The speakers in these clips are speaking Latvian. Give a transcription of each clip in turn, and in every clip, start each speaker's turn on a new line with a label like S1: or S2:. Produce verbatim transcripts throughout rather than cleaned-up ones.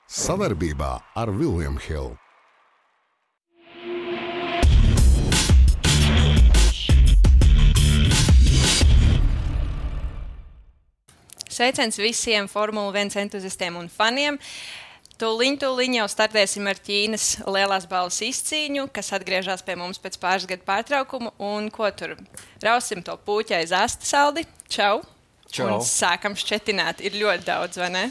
S1: Savarbībā ar William Hill.
S2: Sveiciens visiem Formula viens entuziastiem un faniem. Tūliņ, tūliņ jau startēsim ar Ķīnas lielās balvas izcīņu, kas atgriežas pie mums pēc pāris gadu pārtraukuma. Un ko tur? Rausim to puķi aiz asta saldi. Čau!
S3: Čau!
S2: Un sākam šķetināt. Ir ļoti daudz, vai ne?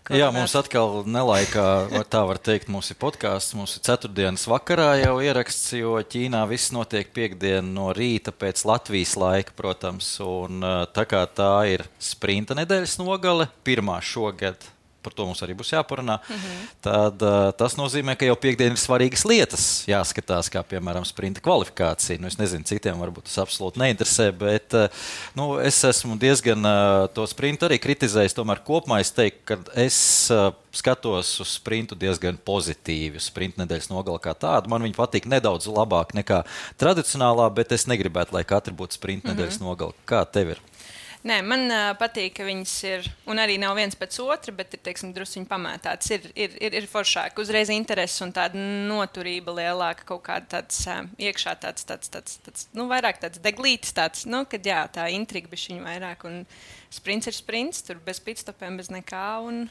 S2: Ko
S3: Jā,
S2: runāt?
S3: mums atkal nelaikā, tā var teikt, mums ir podkāsts. Mums ir ceturtdienas vakarā jau ieraksts, jo Ķīnā viss notiek piekdien no rīta pēc Latvijas laika, protams. Un tā kā tā ir sprinta nedēļas nogale, pirmā šogad, par to mums arī būs jāparunā, mm-hmm. tad uh, tas nozīmē, ka jau piekdien ir svarīgas lietas jāskatās, kā piemēram sprinta kvalifikācija. Nu, es nezinu, citiem varbūt tas absolūti neinteresē, bet uh, nu, es esmu diezgan uh, to sprintu arī kritizējis. Tomēr kopumā es teiktu, ka es uh, skatos uz sprintu diezgan pozitīvi, uz sprinta nedēļas nogali kā tādu. Man viņa patīk nedaudz labāk nekā tradicionālā, bet es negribētu, lai katra būtu sprinta mm-hmm. nedēļas nogali. Kā tev ir?
S2: Nē, man uh, patīk, ka viņas ir, un arī nav viens pēc otra, bet ir, teiksim, drusciņi pamētāts. Ir, ir, ir, ir foršāk, uzreiz interesi un tāda noturība lielāka, kaut kāda tāds uh, iekšā tāds, tāds, tāds, tāds, nu, vairāk tāds deglītis tāds, nu, kad jā, tā intriga bišķiņu vairāk, un sprints ir sprints, tur bez pitstopiem, bez nekā, un...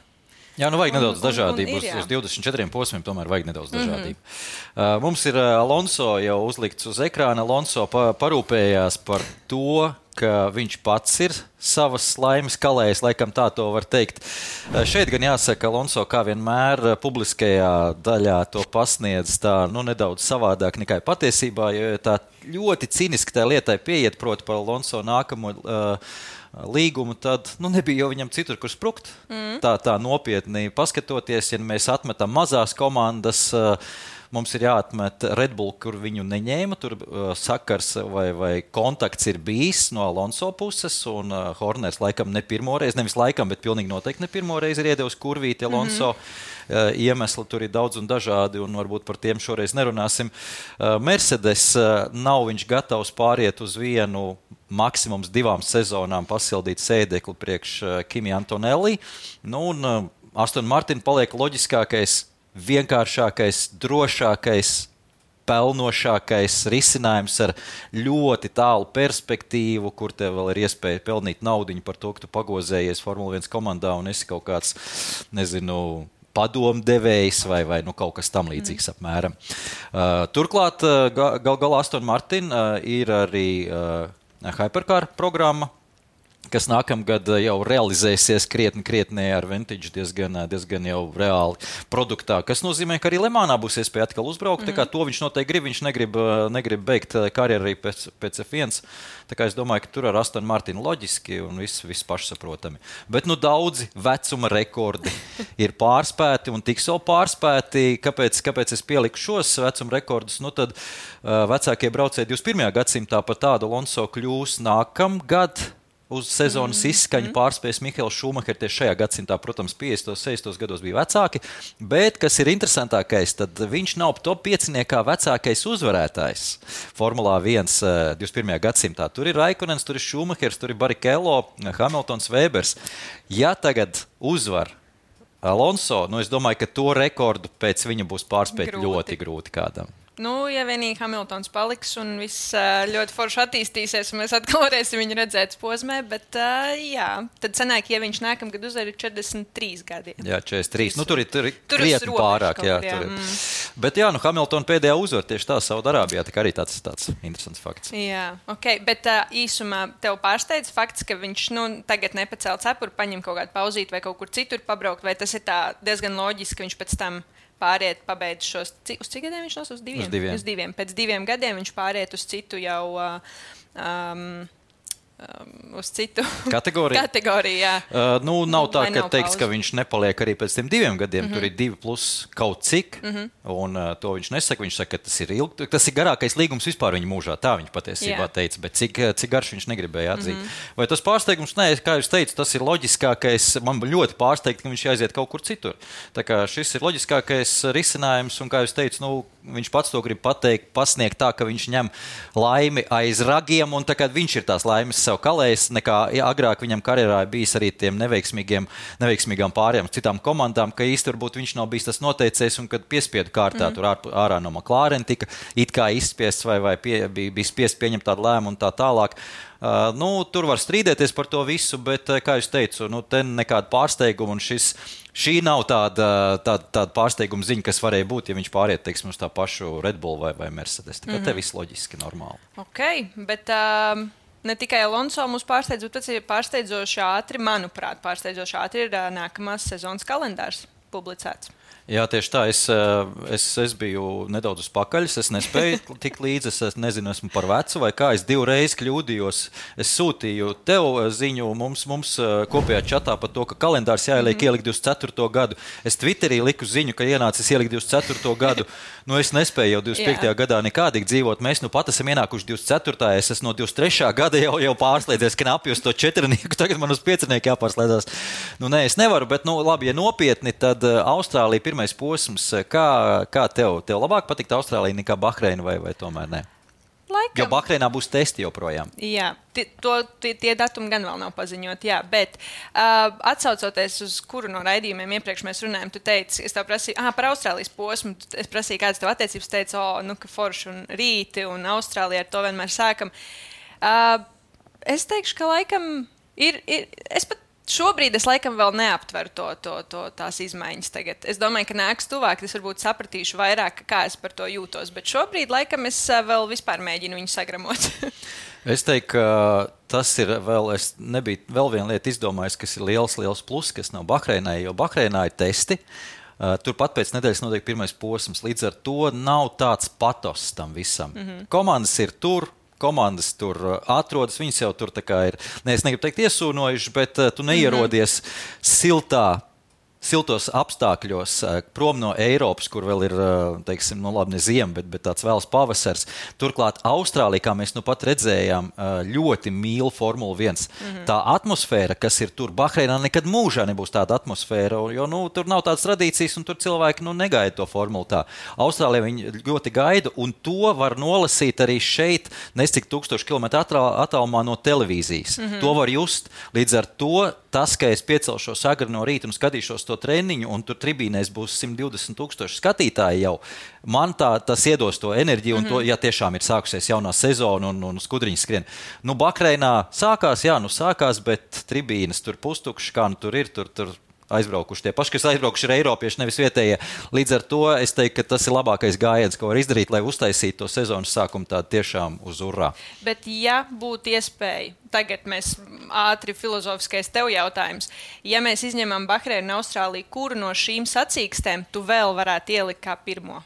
S3: Jā, nu vajag nedaudz
S2: un,
S3: dažādību.
S2: un, un ir,
S3: uz, uz divdesmit četriem posmiem tomēr vajag nedaudz dažādību. Mm-hmm. Uh, mums ir uh, Alonso jau uzlikts uz ekrāna. Alonso pa, parūpējās par to, ka viņš pats ir savas laimes kalējs, laikam tā to var teikt. Uh, šeit gan jāsaka, Alonso kā vienmēr uh, publiskajā daļā to pasniedz tā, nu, nedaudz savādāk nekā patiesībā, jo tā ļoti ciniski tā lietai pieiet, proti par Alonso nākamo uh, līgumu, tad nu, nebija jau viņam citur, kur sprukt. Mm. Tā, tā nopietni paskatoties, ja mēs atmetam mazās komandas, mums ir jāatmet Red Bull, kur viņu neņēma. Tur sakars vai, vai kontakts ir bijis no Alonso puses, un Horners laikam ne pirmo reizi, nevis laikam, bet pilnīgi noteikti ne pirmo reizi ir iedevis kurvīti Alonso. Mm-hmm. Iemesli tur ir daudz un dažādi, un varbūt par tiem šoreiz nerunāsim. Mercedes nav viņš gatavs pāriet uz vienu maksimums divām sezonām pasildīt sēdekli priekš Kimi Antonelli. Nu, un Aston Martin paliek loģiskākais, vienkāršākais, drošākais, pelnošākais risinājums ar ļoti tālu perspektīvu, kur tev vēl ir iespēja pelnīt naudiņu par to, ka tu pagozējies Formula viens komandā un esi kaut kāds, nezinu, padomdevējs vai, vai nu, kaut kas tam līdzīgs mm. apmēram. Uh, turklāt, uh, gal galā Aston Martin uh, ir arī uh, Hypercar programma, kas nākamgad jau realizēsies krietni, krietni ar Vantage diezgan, diezgan jau reāli produktā, kas nozīmē, ka arī Lemānā būs iespēja atkal uzbraukt. Mm-hmm. Tā kā to viņš noteikti grib, viņš negrib, negrib beigt karjeru arī pēc, pēc F viens. Tā kā es domāju, ka tur ar Aston Martinu loģiski un viss, viss pašsaprotami. Bet nu daudzi vecuma rekordi ir pārspēti un tiks vēl pārspēti. Kāpēc, kāpēc es pieliku šos vecuma rekordus? Nu tad uh, vecākie braucēji divdesmit pirmajā gadsimtā par tādu Alonso kļūs nākamgad. Uz sezonas mm-hmm. izskaņu pārspējas Mihails Šumahers tieši šajā gadsimtā, protams, piecdesmitos, sešdesmitos gados bija vecāki, bet, kas ir interesantākais, tad viņš nav top pieciniekā vecākais uzvarētājs Formulā viens divdesmit pirmajā gadsimtā. Tur ir Raikkonens, tur ir Šumahers, tur ir Barrichello, Hamiltons, Webers. Ja tagad uzvar Alonso, nu es domāju, ka to rekordu pēc viņa būs pārspēt grūti. ļoti grūti kādam.
S2: Nu, ja vienīgi Hamiltons paliks un viss uh, ļoti forši attīstīsies, un mēs atkal varēsim viņu redzēt posmē, bet uh, jā, tad sanāk, ja viņš nākamgad uzvar ir četrdesmit trīs gadi.
S3: Jā, četrdesmit trīs. Nu, tur ir, tur ir krietni pārāk. Jā,
S2: jā.
S3: Tur ir.
S2: Mm.
S3: Bet jā, nu, Hamiltona pēdējā uzvar tieši tā Saudarābijā, tā arī tāds, tāds interesants fakts.
S2: Jā, ok, bet uh, īsumā tev pārsteidz fakts, ka viņš, nu, tagad nepacēl cepuru, paņem kaut kādu pauzīt vai kaut kur citur pabraukt, vai tas ir tā diezgan loģiski, ka viņš pēc tam pāriet, pabeidz šos, uz cik gadiem viņš nos? Uz diviem?
S3: Uz diviem.
S2: Uz diviem. Pēc diviem gadiem viņš pāriet uz citu jau, um, um, uz citu
S3: kategoriju.
S2: kategoriju jā.
S3: Uh, nu, nav tā,
S2: Vai
S3: ka
S2: nav
S3: teiks,
S2: pauze?
S3: ka viņš nepaliek arī pēc tiem diviem gadiem. Mm-hmm. Tur ir divi plus kaut cik, mm-hmm. un uh, to viņš nesaka. Viņš saka, ka tas ir, ilg, tas ir garākais līgums vispār viņa mūžā. Tā viņš patiesībā jā. teica, bet cik, cik garš viņš negribēja atzīt. Mm-hmm. Vai tas pārsteigums? Nē, kā jūs teicu, tas ir loģiskākais. Man ļoti pārsteigt, ka viņš aiziet kaut kur citur. Tā kā šis ir loģiskākais risinājums, un kā jūs teicu, nu, viņš pats to grib pateikt, pasniegt tā, ka viņš ņem laimi aiz ragiem, un tā kā viņš ir tās laimes sev kalējis, nekā agrāk viņam karjerā bijis arī tiem neveiksmīgiem, neveiksmīgām pārējām citām komandām, ka īsti varbūt viņš nav bijis tas noteicējs un kad piespiedu kārtā mm. tur ār, ārā no McLaren tika it kā izspiests vai, vai pie, bija, bija spiests pieņemt tādu lēmumu un tā tālāk. Uh, nu, tur var strīdēties par to visu, bet, kā jūs teicu, nu, te nekāda pārsteiguma un šis, šī nav tāda, tāda, tāda pārsteiguma ziņa, kas varēja būt, ja viņš pāriet, teiksim, uz tā pašu Red Bull vai, vai Mercedes. Tā kā mm-hmm. te viss loģiski, normāli.
S2: Ok, bet uh, ne tikai Alonso mūs pārsteidz, bet tas ir pārsteidzoši ātri, manuprāt, pārsteidzoši ātri ir uh, nākamās sezonas kalendārs publicēts.
S3: Jā, tieši tā. Es, es, es biju nedaudz uz pakaļas. Es nespēju tikt līdzi. Es nezinu, esmu par vecu vai kā. Es divreiz kļūdījos. Es sūtīju tev ziņu mums, mums kopējā čatā par to, ka kalendārs jāieliek mm-hmm. ielikt divdesmit ceturto gadu. Es Twitterī liku ziņu, ka ienācis ielikt divdesmit ceturto gadu. Nu, es nespēju jau divdesmit piektajā Jā. gadā nekādīgi dzīvot. Mēs nu pat esam ienākuši divdesmit ceturtajā Es esmu no divdesmit trešā gada jau, jau pārslēdzies, ka knapi uz to četrnieku. Tagad man uz piecnieku jāpārslēdzās. Nu, nē, es nevaru, bet, nu, labi, ja nopietni, tad Austrālija pirmais posms. Kā, kā tev? Tev labāk patikt Austrālija nekā Bahreina vai, vai tomēr ne?
S2: Laikam.
S3: Jo Bahreinā būs testi joprojām.
S2: Jā, tie, to, tie, tie datumi gan vēl nav paziņoti, jā, bet uh, atsaucoties uz kuru no raidījumiem iepriekš mēs runājam, tu teici, es tev prasīju, ah, par Austrālijas posmu, es prasīju, kādas tev attiecības, teici, o, nu, ka forši un rīti un Austrālijā ar to vienmēr sākam. Uh, es teikšu, ka laikam ir, ir es pat šobrīd es laikam vēl neaptveru to, to, to, tās izmaiņas tagad. Es domāju, ka nāks tuvāk, es varbūt sapratīšu vairāk, kā es par to jūtos, bet šobrīd laikam es vēl vispār mēģinu viņu sagramot.
S3: Es teiktu, ka tas ir vēl, es nebiju vēl viena lieta izdomājis, kas ir liels, liels plus, kas nav Bahreinai, jo Bahreinā ir testi. Turpat pēc nedēļas notiek pirmais posms, līdz ar to nav tāds patos tam visam. Mm-hmm. Komandas ir tur. Komandas tur atrodas, viņas jau tur tā kā ir, ne, es negribu teikt iesūnojuši, bet uh, tu neierodies mm-hmm. siltā, siltos apstākļos prom no Eiropas, kur vēl ir, teiksim, nu labi, ne ziema, bet, bet tāds vēls pavasars. Turklāt Austrālija, kā mēs nu pat redzējām, ļoti mīl Formula viens. Mm-hmm. Tā atmosfēra, kas ir tur Bahreinā, nekad mūžā nebūs tāda atmosfēra, jo nu, tur nav tādas tradīcijas un tur cilvēki nu, negaida to formulu tā. Austrālija viņi ļoti gaida un to var nolasīt arī šeit, nescik tūkstoši kilometru attālumā no televīzijas. Mm-hmm. To var just. Līdz ar to tas, ka es piecelšos agri no rīta un skatīšos to treniņu, un tur tribīnēs būs simt divdesmit tūkstoši skatītāji jau, man tā, tas iedos to enerģiju, un mm-hmm. to, ja tiešām ir sākusies jaunā sezona un, un skudriņas skrien. Nu, Bahreinā sākās, jā, nu sākās, bet tribīnes tur pustukšas, kā nu tur ir, tur, tur aizbraukuši tie paši, kas aizbraukuši ir eiropieši, nevis vietējie. Līdz ar to es teiktu, ka tas ir labākais gājiens, ko var izdarīt, lai uztaisītu to sezonas sākumu tādu tiešām uz urā.
S2: Bet ja būtu iespēja, tagad mēs ātri filozofiskais tev jautājums, ja mēs izņemam Bahreinu un Austrāliju, kuru no šīm sacīkstēm tu vēl varētu ielikt kā pirmo?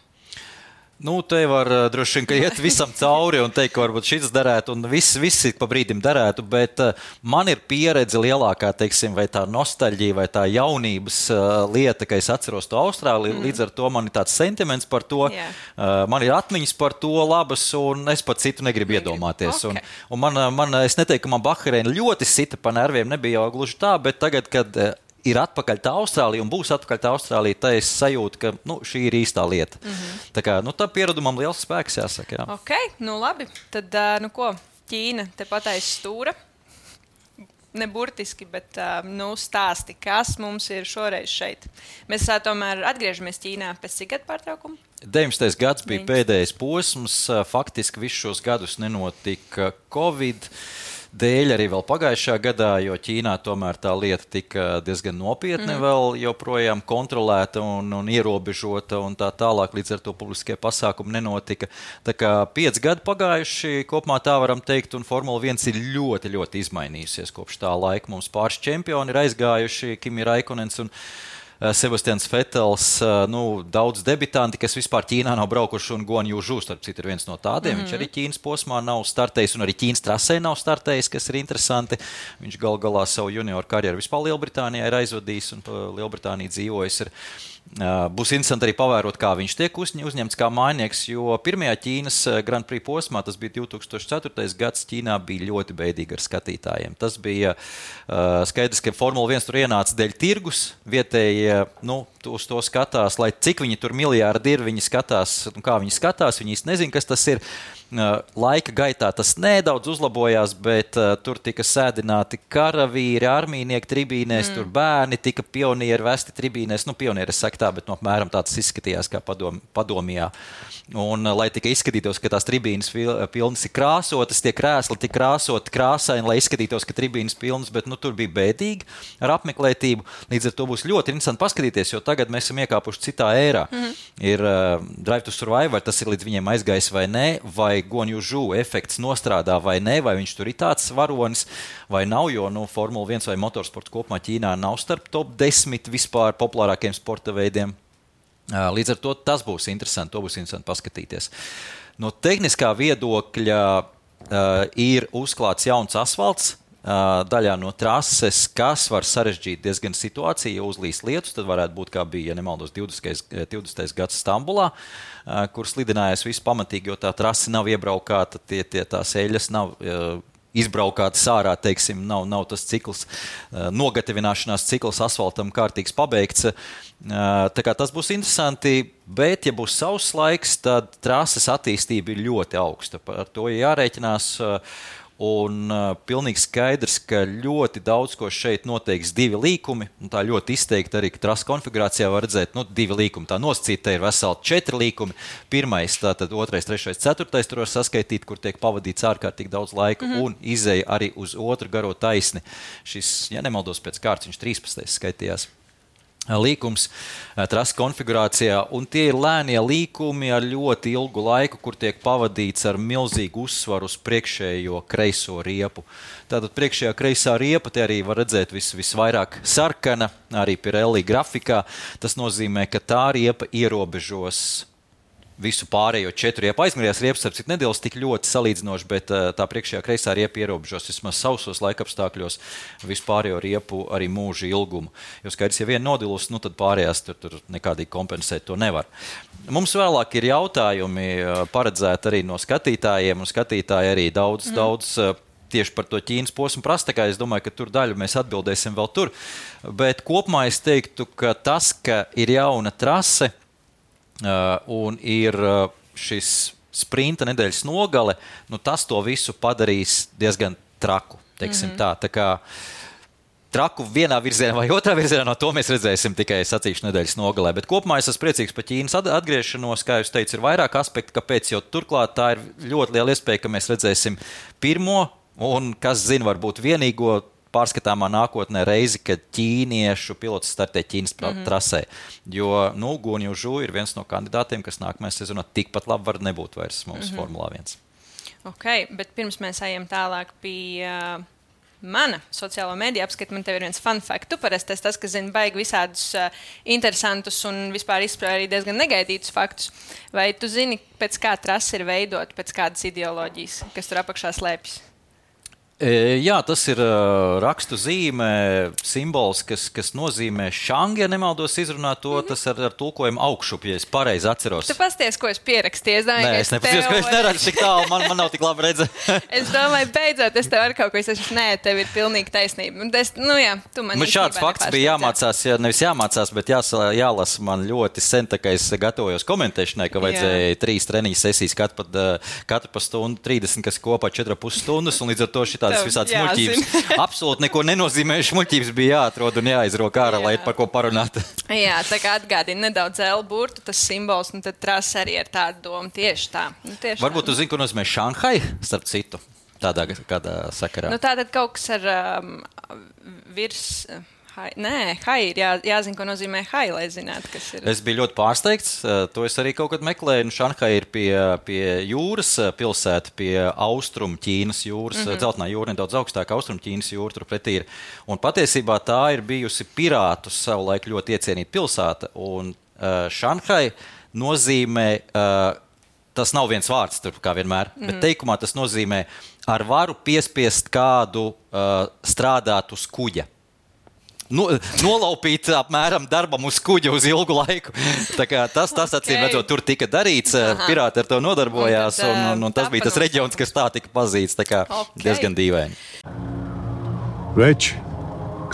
S3: Nu, te var uh, droši vien, ka iet visam cauri un teikt, ka varbūt šis darētu un viss, visi pa brīdim darētu, bet uh, man ir pieredze lielākā, teiksim, vai tā nostalģija, vai tā jaunības uh, lieta, ka es atceros to Austrāliju, mm. līdz ar to man ir tāds sentiments par to, yeah. uh, man ir atmiņas par to labas un es pat citu negribu Negribu. iedomāties. Okay. Un, un man, man, es neteiktu, ka man Bahreina ļoti sita pa nerviem, nebija jau gluži tā, bet tagad, kad uh, ir atpakaļ tā Austrālija un būs atpakaļ tā Austrālija, tā es sajūtu, ka nu, šī ir īstā lieta. Mm-hmm. Tā kā, nu, tā pieredumam liels spēks jāsaka. Jā.
S2: Ok, nu labi. Tad, nu ko, Ķīna tepat aiz stūra. Ne burtiski, bet nu, stāsti, kas mums ir šoreiz šeit. Mēs tomēr atgriežamies Ķīnā pēc cik gadu pārtraukumu?
S3: deviņdesmitais gads bija pēdējais posms. Faktiski visus šos gadus nenotika Covid dēļ arī vēl pagājušā gadā, jo Ķīnā tomēr tā lieta tika diezgan nopietni mm. vēl joprojām kontrolēta un, un ierobežota un tā tālāk, līdz ar to publiskie pasākumi nenotika. Tā kā pieci gadi pagājuši, kopumā tā varam teikt, un Formula viens ir ļoti, ļoti izmainījusies kopš tā laika. Mums pāris čempioni ir aizgājuši, Kimi Raikonens un Sebastians Vettels, nu, daudz debitanti, kas vispār Ķīnā nav braukuši, un Guan Yu Zhu, starp citu, ir viens no tādiem. Mm-hmm. Viņš arī Ķīnas posmā nav startējis, un arī Ķīnas trasē nav startējis, kas ir interesanti. Viņš gal galā savu junioru karjeru vispār Lielbritānijā ir aizvadījis, un Lielbritānija dzīvojis ir. Būs interesanti arī pavērot, kā viņš tiek uzņemts kā mājnieks, jo pirmajā Ķīnas Grand Prix posmā, tas bija divi tūkstoši ceturtais gads, Ķīnā bija ļoti beidīgi ar skatītājiem. Tas bija uh, skaidrs, ka Formula viens tur ienāca dēļ tirgus, vietēji, nu, uz to skatās, lai cik viņi tur miljārdi ir, viņi skatās, nu, kā viņi skatās, viņi īsti nezin, kas tas ir. Laika gaitā tas nedaudz uzlabojās, bet uh, tur tika sēdināti karavīri, armijnieki tribīnēs, mm. tur bērni tika pionieri vesti tribīnēs. Nu, pionieri es saku tā, bet no apmēram tāds izskatījās kā padom, padomijā. Un, uh, lai tikai izskatītos, ka tās tribīnes pilnas ir krāsotas, tie krēsli tik krāsoti krāsaini, lai izskatītos, ka tribīnes pilnas, bet nu, tur bija bēdīgi ar apmeklētību. Līdz ar to būs ļoti interesanti paskatīties, jo tagad mēs esam iekāpuši citā ērā. Mm. Ir uh, Drive to Survive, tas ir līdz viņiem aizgājis vai ne, vai Guan Yu Zhu efekts nostrādā vai ne, vai viņš tur ir tāds varonis vai nav, jo nu, Formula viens vai motorsports kopumā Ķīnā nav starp top desmit vispār populārākiem sporta veidiem. Līdz ar to tas būs interesanti, to būs interesanti paskatīties. No tehniskā viedokļa uh, ir uzklāts jauns asfalts, uh, daļā no trases, kas var sarežģīt diezgan situāciju, ja uzlīs lietus, tad varētu būt kā bija, ja nemaldos, divdesmitais gads Stambulā, kur slidinājās viss pamatīgi, jo tā trase nav iebraukāta, tie, tie tās eļas nav uh, izbraukātas ārā, teiksim, nav, nav tas cikls, uh, nogatavināšanās cikls asfaltam kārtīgs pabeigts. Uh, tā kā tas būs interesanti, bet, ja būs sauss laiks, tad trases attīstība ir ļoti augsta. Ar to jārēķinās. Uh, Un uh, pilnīgi skaidrs, ka ļoti daudz ko šeit noteiks divi līkumi. Un tā ļoti izteikti arī, ka trases konfigurācijā var redzēt, nu, divi līkumi. Tā nosacīta ir veseli četri līkumi. Pirmais, tātad otrais, trešais, ceturtais tur var saskaitīt, kur tiek pavadīts ārkārtīgi daudz laika, mm-hmm. un izēja arī uz otru garo taisni. Šis, ja nemaldos pēc kārtas, viņš trīspadsmitais skaitījās. Līkums trases konfigurācijā, un tie ir lēnie līkumi ar ļoti ilgu laiku, kur tiek pavadīts ar milzīgu uzsvaru uz priekšējo kreiso riepu. Tātad priekšējā kreisā riepa te arī var redzēt vis, visvairāk sarkana, arī Pirelli grafikā. Tas nozīmē, ka tā riepa ierobežos visu pārējo četru riepu. Aizmērījās riepas, starp citu, nedēļas tik ļoti salīdzinoši, bet tā priekšējā kreisā riepa ierobežos vismaz sausos laikapstākļos visu pārējo riepu arī mūža ilgumu. Jo skaidrs, ja viena nodilus, nu tad pārējās tur, tur nekādīgi kompensēt to nevar. Mums vēlāk ir jautājumi paredzēti arī no skatītājiem, un skatītāji arī daudz, mm. daudz tieši par to Ķīnas posmu prasa, tā kā es domāju, ka tur daļu mēs atbildēsim vēl tur. Bet kopumā es teiktu, ka tas, ka ir jauna trase, Uh, un ir uh, šis sprinta nedēļas nogale, nu tas to visu padarīs diezgan traku, teiksim mm-hmm. tā. Tā kā traku vienā virzienā vai otrā virzienā, no to mēs redzēsim tikai sacīkšu nedēļas nogalē. Bet kopumā es esmu priecīgs par Ķīnas atgriešanos, kā jūs teicu, ir vairāk aspekti, kāpēc, jo turklāt tā ir ļoti liela iespēja, ka mēs redzēsim pirmo un, kas zina, varbūt vienīgo pārskatāmā nākotnē reizi, kad ķīniešu pilots startē Ķīnas mm-hmm. trasē. Jo, nu, Guan Yu Zhu ir viens no kandidātiem, kas nākamajā sezonā tikpat labi var nebūt vairs mūsu mm-hmm. Formulā viens.
S2: Ok, bet pirms mēs ejam tālāk pie uh, mana sociālo mediju apskata, man tev ir viens fun fact. Tu parasti esi tas, kas zina baigi visādus uh, interesantus un vispār izspēr arī diezgan negaidītus faktus. Vai tu zini, pēc kā trasa ir veidot, pēc kādas ideoloģijas, kas tur apakšā slēpjas?
S3: Jā, tas ir uh, rakstu zīme, simbols, kas, kas nozīmē šangi, ja nemaldos izrunāt to, mm-hmm. tas ar, ar tulkojumu augšup, ja es pareizi atceros.
S2: Tu pasties, ko es pierakstīju. Es domāju,
S3: Nē, es nepasties, ko es neredzu tik tālu, man, man nav tik labi redzēt.
S2: Es domāju, beidzot, es tev ar kaut ko izsaku, nē, tev ir pilnīgi taisnība. Es, nu jā, tu man
S3: man šāds fakts bija jāmācās, ja nevis jāmācās, bet jās, jālasa man ļoti sen, tā kā es gatavojos komentēšanai, ka vajadzēja jā. trīs treniņu sesijas katru pa, katru pa stundu, trīsdesmit, kas kopā četri pus stundas, un līdz ar to šitā tādas visādas muļķības. Absolūti neko nenozīmējuši muļķības bija jāatrod un jāizrok ārā, lai ir par ko parunāt.
S2: Jā, tā kā atgādina nedaudz L burtu, tas simbols, un tad trasa arī ar tādu domu tieši tā. Nu, tieši
S3: Varbūt
S2: tā.
S3: Tu zini, ko nozīmē Šanhai, starp citu, tādā kādā sakarā.
S2: Nu, tātad kaut kas ar um, virs... Hai. Nē, hai ir jā, jāzina, ko nozīmē hai, lai zinātu, kas ir.
S3: Es biju ļoti pārsteigts, to es arī kaut kad meklēju. Šanhai ir pie, pie jūras pilsēta, pie austrumu Ķīnas jūras, mm-hmm. dzeltenā jūra nedaudz augstāk, austrumu Ķīnas jūra turpretī ir. Un patiesībā tā ir bijusi pirātu savulaik ļoti iecienīta pilsēta. Un uh, Šanhai nozīmē, uh, tas nav viens vārds tur, kā vienmēr, mm-hmm. bet teikumā tas nozīmē ar varu piespiest kādu uh, strādāt uz kuģa. No, nolaupīt apmēram darbam uz kuģa uz ilgu laiku. Tā kā tas, tas okay. acīm redzot, tur tika darīts, Aha. pirāti ar to nodarbojās, un, tad, un, un, un tas bija tas reģions, kas tā tika pazīts, tā kā okay. diezgan dīvaini.
S4: Veči,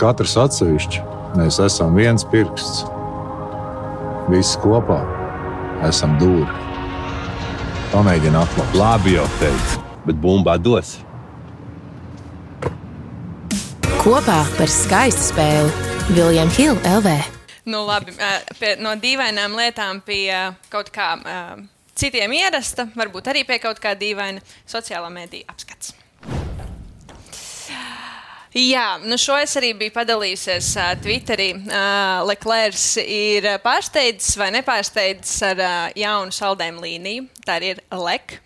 S4: katrs atsevišķi, mēs esam viens pirksts. Visi kopā esam dūri. Pamēģini atklāt.
S5: Labi jau teicu, bet bumba dos.
S6: Kopā par skaistu spēli William Hill L V.
S2: Nu, labi, pie, no dīvainām lietām pie kaut kā uh, citiem ierasta, varbūt arī pie kaut kā dīvaina sociālā mēdīja apskats. Jā, nu šo es arī biju padalījusies uh, Twitterī. Uh, Leclercs ir pārsteidzis vai nepārsteidzis ar uh, jaunu saldējumu līniju. Tā ir Lec.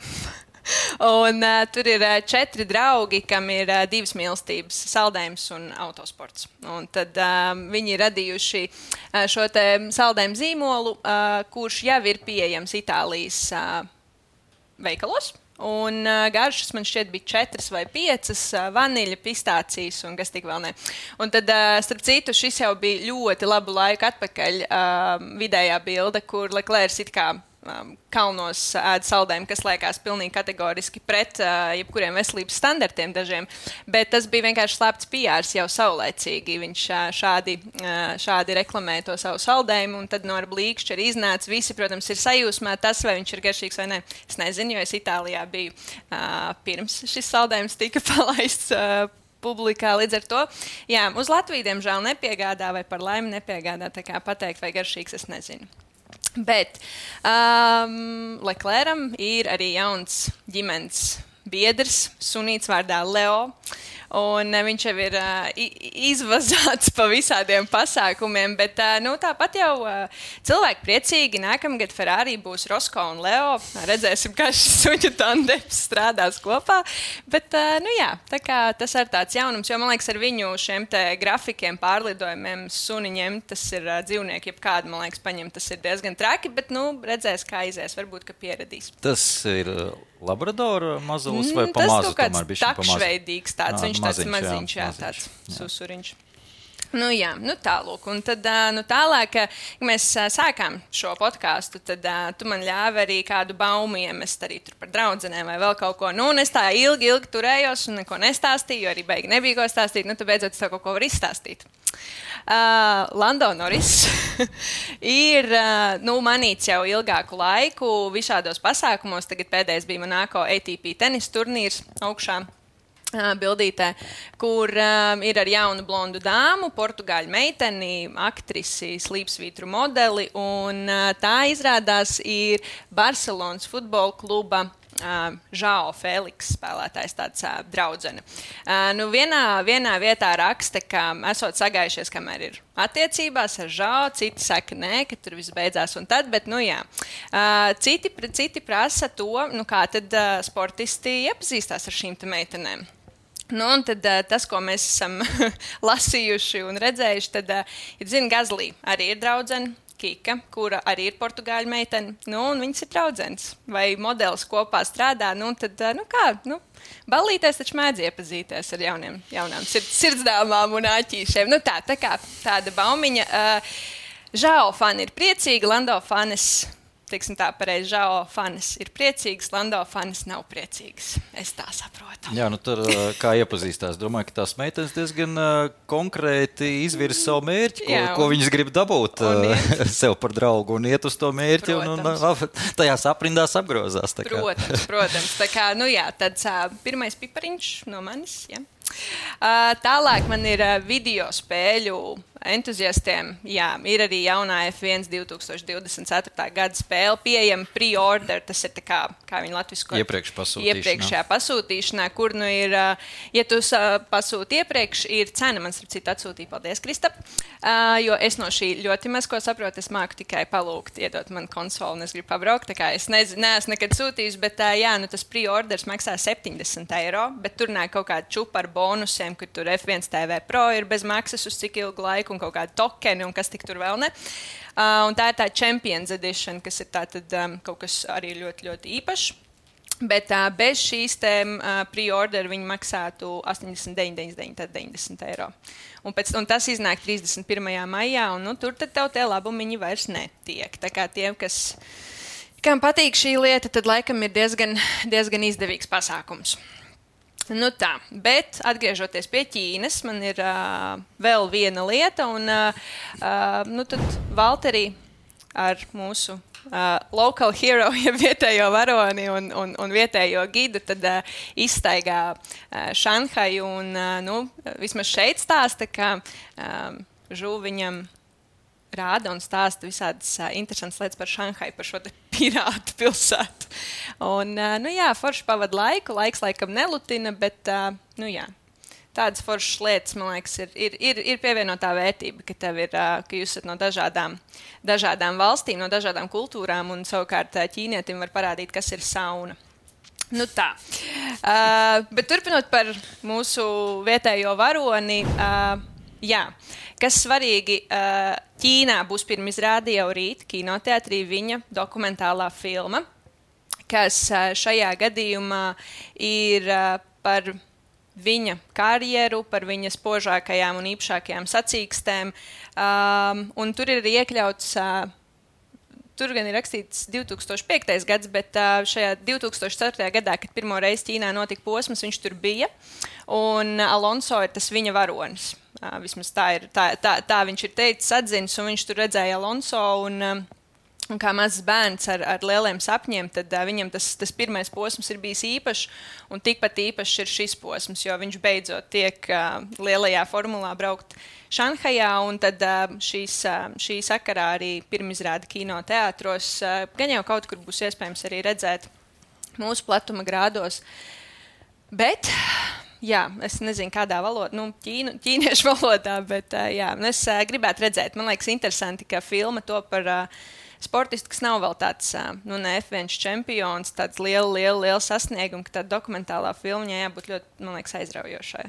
S2: Un uh, tur ir uh, četri draugi, kam ir uh, divas mīlestības - saldējums un autosports. Un tad uh, viņi ir radījuši uh, šo te saldējumu zīmolu, uh, kurš jau ir pieejams Itālijas uh, veikalos. Un uh, garšas man šķiet bija četras vai piecas, uh, vaniļa, pistācijas un kas tik vēl ne. Un tad, uh, starp citu, šis jau bija ļoti labu laiku atpakaļ uh, vidējā bilde, kur Leclercs it kā um, kalnos ēd saldējumu, kas liekas pilnīgi kategoriski pret uh, jebkuriem veselības standartiem dažiem, bet tas bija vienkārši slēpts P Rs jau saulēcīgi. Viņš uh, šādi, uh, šādi reklamēja to savu saldējumu, un tad no ar blīkšķi arī iznāca. Visi, protams, ir sajūsmā tas, vai viņš ir garšīgs vai ne. Es nezinu, jo es Itālijā biju uh, pirms šis saldējums tika palaists uh, publikā. Līdz ar to, jā, uz Latviju, diemžēl, nepiegādā vai par laimi nepiegādā, tā kā pateikt, vai garšīgs, es nezinu. Bet um, Leclercam ir arī jauns ģimenes biedrs, sunīts vārdā Leo. Un uh, viņš jau ir uh, izvazāts pa visādiem pasākumiem, bet uh, nu, tāpat jau uh, cilvēki priecīgi. Nākamgad Ferrari būs Rosco un Leo. Redzēsim, kā šis suņu tandems strādās kopā. Bet uh, nu, jā, tā kā tas ir tāds jaunums, jo man liekas, ar viņu šiem te grafikiem, pārlidojumiem, suniņiem, tas ir uh, dzīvnieki, jebkādi, man liekas, paņemt, tas ir diezgan traki, bet nu, redzēs, kā izies, varbūt, ka pieradīs.
S3: Tas ir Labradora mazulis vai pa mazu?
S2: Tas kaut kāds takšveidīgs tāds, viņš tāds maziņš, jā, tāds susuriņš. Nu jā, nu tālūk. Un tad, nu tālāk, kad mēs sākām šo podcastu, tad tu man ļāvi arī kādu baumu iemest arī tur par draudzenēm vai vēl kaut ko. Nu, un es tā ilgi, ilgi turējos un neko nestāstīju, jo arī beigi nebija ko stāstīt. Nu, tu beidzot tev kaut ko var izstāstīt. Uh, Lando Norris ir uh, nu, manīts jau ilgāku laiku visādos pasākumos. Tagad pēdējais bija Monako A T P tenis turnīrs augšā uh, bildītē, kur uh, ir ar jaunu blondu dāmu, portugāļu meiteni, aktrisi, slīpsvītru modeli. Un uh, tā izrādās ir Barcelonas futbola kluba Uh, Žao Feliks spēlētājs, tāds uh, draudzene. Uh, nu vienā, vienā vietā raksta, ka esot sagājušies, kamēr ir attiecībās ar Žao, citi saka nē, ka tur viss beidzās un tad, bet nu jā. Uh, citi, citi prasa to, nu kā tad uh, sportisti iepazīstās ar šīm te meitenēm. Nu, un tad uh, tas, ko mēs esam lasījuši un redzējuši, tad uh, ir, zina, Gazlī arī ir draudzene. Kika, kura arī ir portugāļu meitene, nu, un viņas ir draudzenes. Vai modelis kopā strādā, nu, tad, nu, kā, nu, ballītēs taču mēdz iepazīties ar jauniem, jaunām sirds, sirdsdāmām un āķīšiem. Nu, tā, tā kā tāda baumiņa. Uh, Žao fani ir priecīgi, Lando fanis, teiksim tā pareizi, Žao fanis ir priecīgs, Lando fanis nav priecīgs. Es tā saprotu.
S3: Jā, nu tur kā iepazīstās. Domāju, ka tās meitenes diezgan uh, konkrēti izvirza savu mērķi, ko,
S2: Jā, un,
S3: ko viņas grib dabūt uh, sev par draugu un iet uz to mērķi un, un, un tajās aprindās apgrozās. Tā kā.
S2: Protams, protams. Tā kā, nu jā, tāds uh, pirmais pipariņš no manis, jā. Uh, tālāk man ir uh, video spēļu entuziastiem. Jā, ir arī jaunā F viens divtūkstoš divdesmit ceturtā gada spēle pieejama pre-order. Tas ir tā kā, kā viņi latvisko
S3: iepriekš pasūtīšanā.
S2: Iepriekšējā pasūtīšanā, kur nu ir, uh, ja tu uh, pasūti iepriekš, ir cena. Man starp citu atsūtīja, paldies, Kristap. Uh, jo es no šī ļoti maz ko saprotu, es māku tikai palūgt, iedot man konsoli un es gribu pabraukt. Tā kā es nezinu, neesmu nekad sūtījis, bet uh, jā, nu tas pre-orders maksā septiņdesmit eiro, bet tur nāk kaut kāda čupa ar bonusiem, kur tur F viens T V Pro ir bez maksas uz cik ilgu laiku un kaut kādi tokeni un kas tik tur vēl ne. Uh, un tā ir tā Champions Edition, kas ir tā tad um, kaut kas arī ļoti, ļoti īpašs. Bet uh, bez šīs tēm uh, pre-order viņi maksātu astoņdesmit deviņi, deviņdesmit deviņi, tad deviņdesmit eiro. Un, pēc, un tas iznāk trīsdesmit pirmajā maijā, un nu, tur tad tev tie labumiņi vairs netiek. Tā kā tiem, kas, kam patīk šī lieta, tad laikam ir diezgan, diezgan izdevīgs pasākums. Nu tā, bet atgriežoties pie Ķīnas, man ir uh, vēl viena lieta, un uh, uh, nu tad Valterī ar mūsu uh, local hero, ja vietējo varoni un, un, un vietējo gidu, tad uh, izstaigā uh, Šanhaju. Un, uh, nu, vismaz šeit stāsta, ka um, Žu viņam rāda un stāsta visādas uh, interesantas lietas par Šanhaju, par šo te pirātu pilsētu. Un, uh, nu jā, forši pavada laiku, laiks laikam nelutina, bet, uh, nu jā, tādas foršas lietas, man liekas, ir, ir, ir, ir pievienotā vērtība, ka tev ir, uh, ka jūs esat no dažādām, dažādām valstīm, no dažādām kultūrām, un savukārt uh, ķīnietim var parādīt, kas ir sauna. Nu tā. Uh, bet turpinot par mūsu vietējo varoni, uh, jā, kas svarīgi, uh, Ķīnā būs pirmizrāde jau rīt kinoteātrī viņa dokumentālā filma, kas uh, šajā gadījumā ir uh, par viņa karjeru, par viņa spožākajām un īpašākajām sacīkstēm. Um, un tur ir iekļauts, uh, tur gan ir rakstīts divi tūkstoši piektais gads, bet uh, šajā divi tūkstoši ceturtajā gadā, kad pirmo reizi Ķīnā notika posms, viņš tur bija. Un Alonso ir tas viņa varonis. Uh, vismaz tā, ir, tā, tā, tā viņš ir teicis, atzinis, un viņš tur redzēja Alonso. Un, um, un kā mazs bērns ar, ar lieliem sapņiem, tad uh, viņam tas, tas pirmais posms ir bijis īpašs, un tikpat īpašs ir šis posms, jo viņš beidzot tiek uh, lielajā formulā braukt Šanhajā, un tad uh, šīs, uh, šī sakarā arī pirmizrāde kinoteātros. Uh, gan jau kaut kur būs iespējams arī redzēt mūsu platuma grādos. Bet... Jā, es nezinu, kādā valodā, nu, ķīnu, ķīniešu valodā, bet uh, jā, es uh, gribētu redzēt. Man liekas interesanti, ka filma to par uh, sportistu, kas nav vēl tāds, uh, nu, ne F viens čempions, tāds liela, liela, liela sasnieguma, ka tāda dokumentālā filma jābūt ļoti, man liekas, aizraujošai,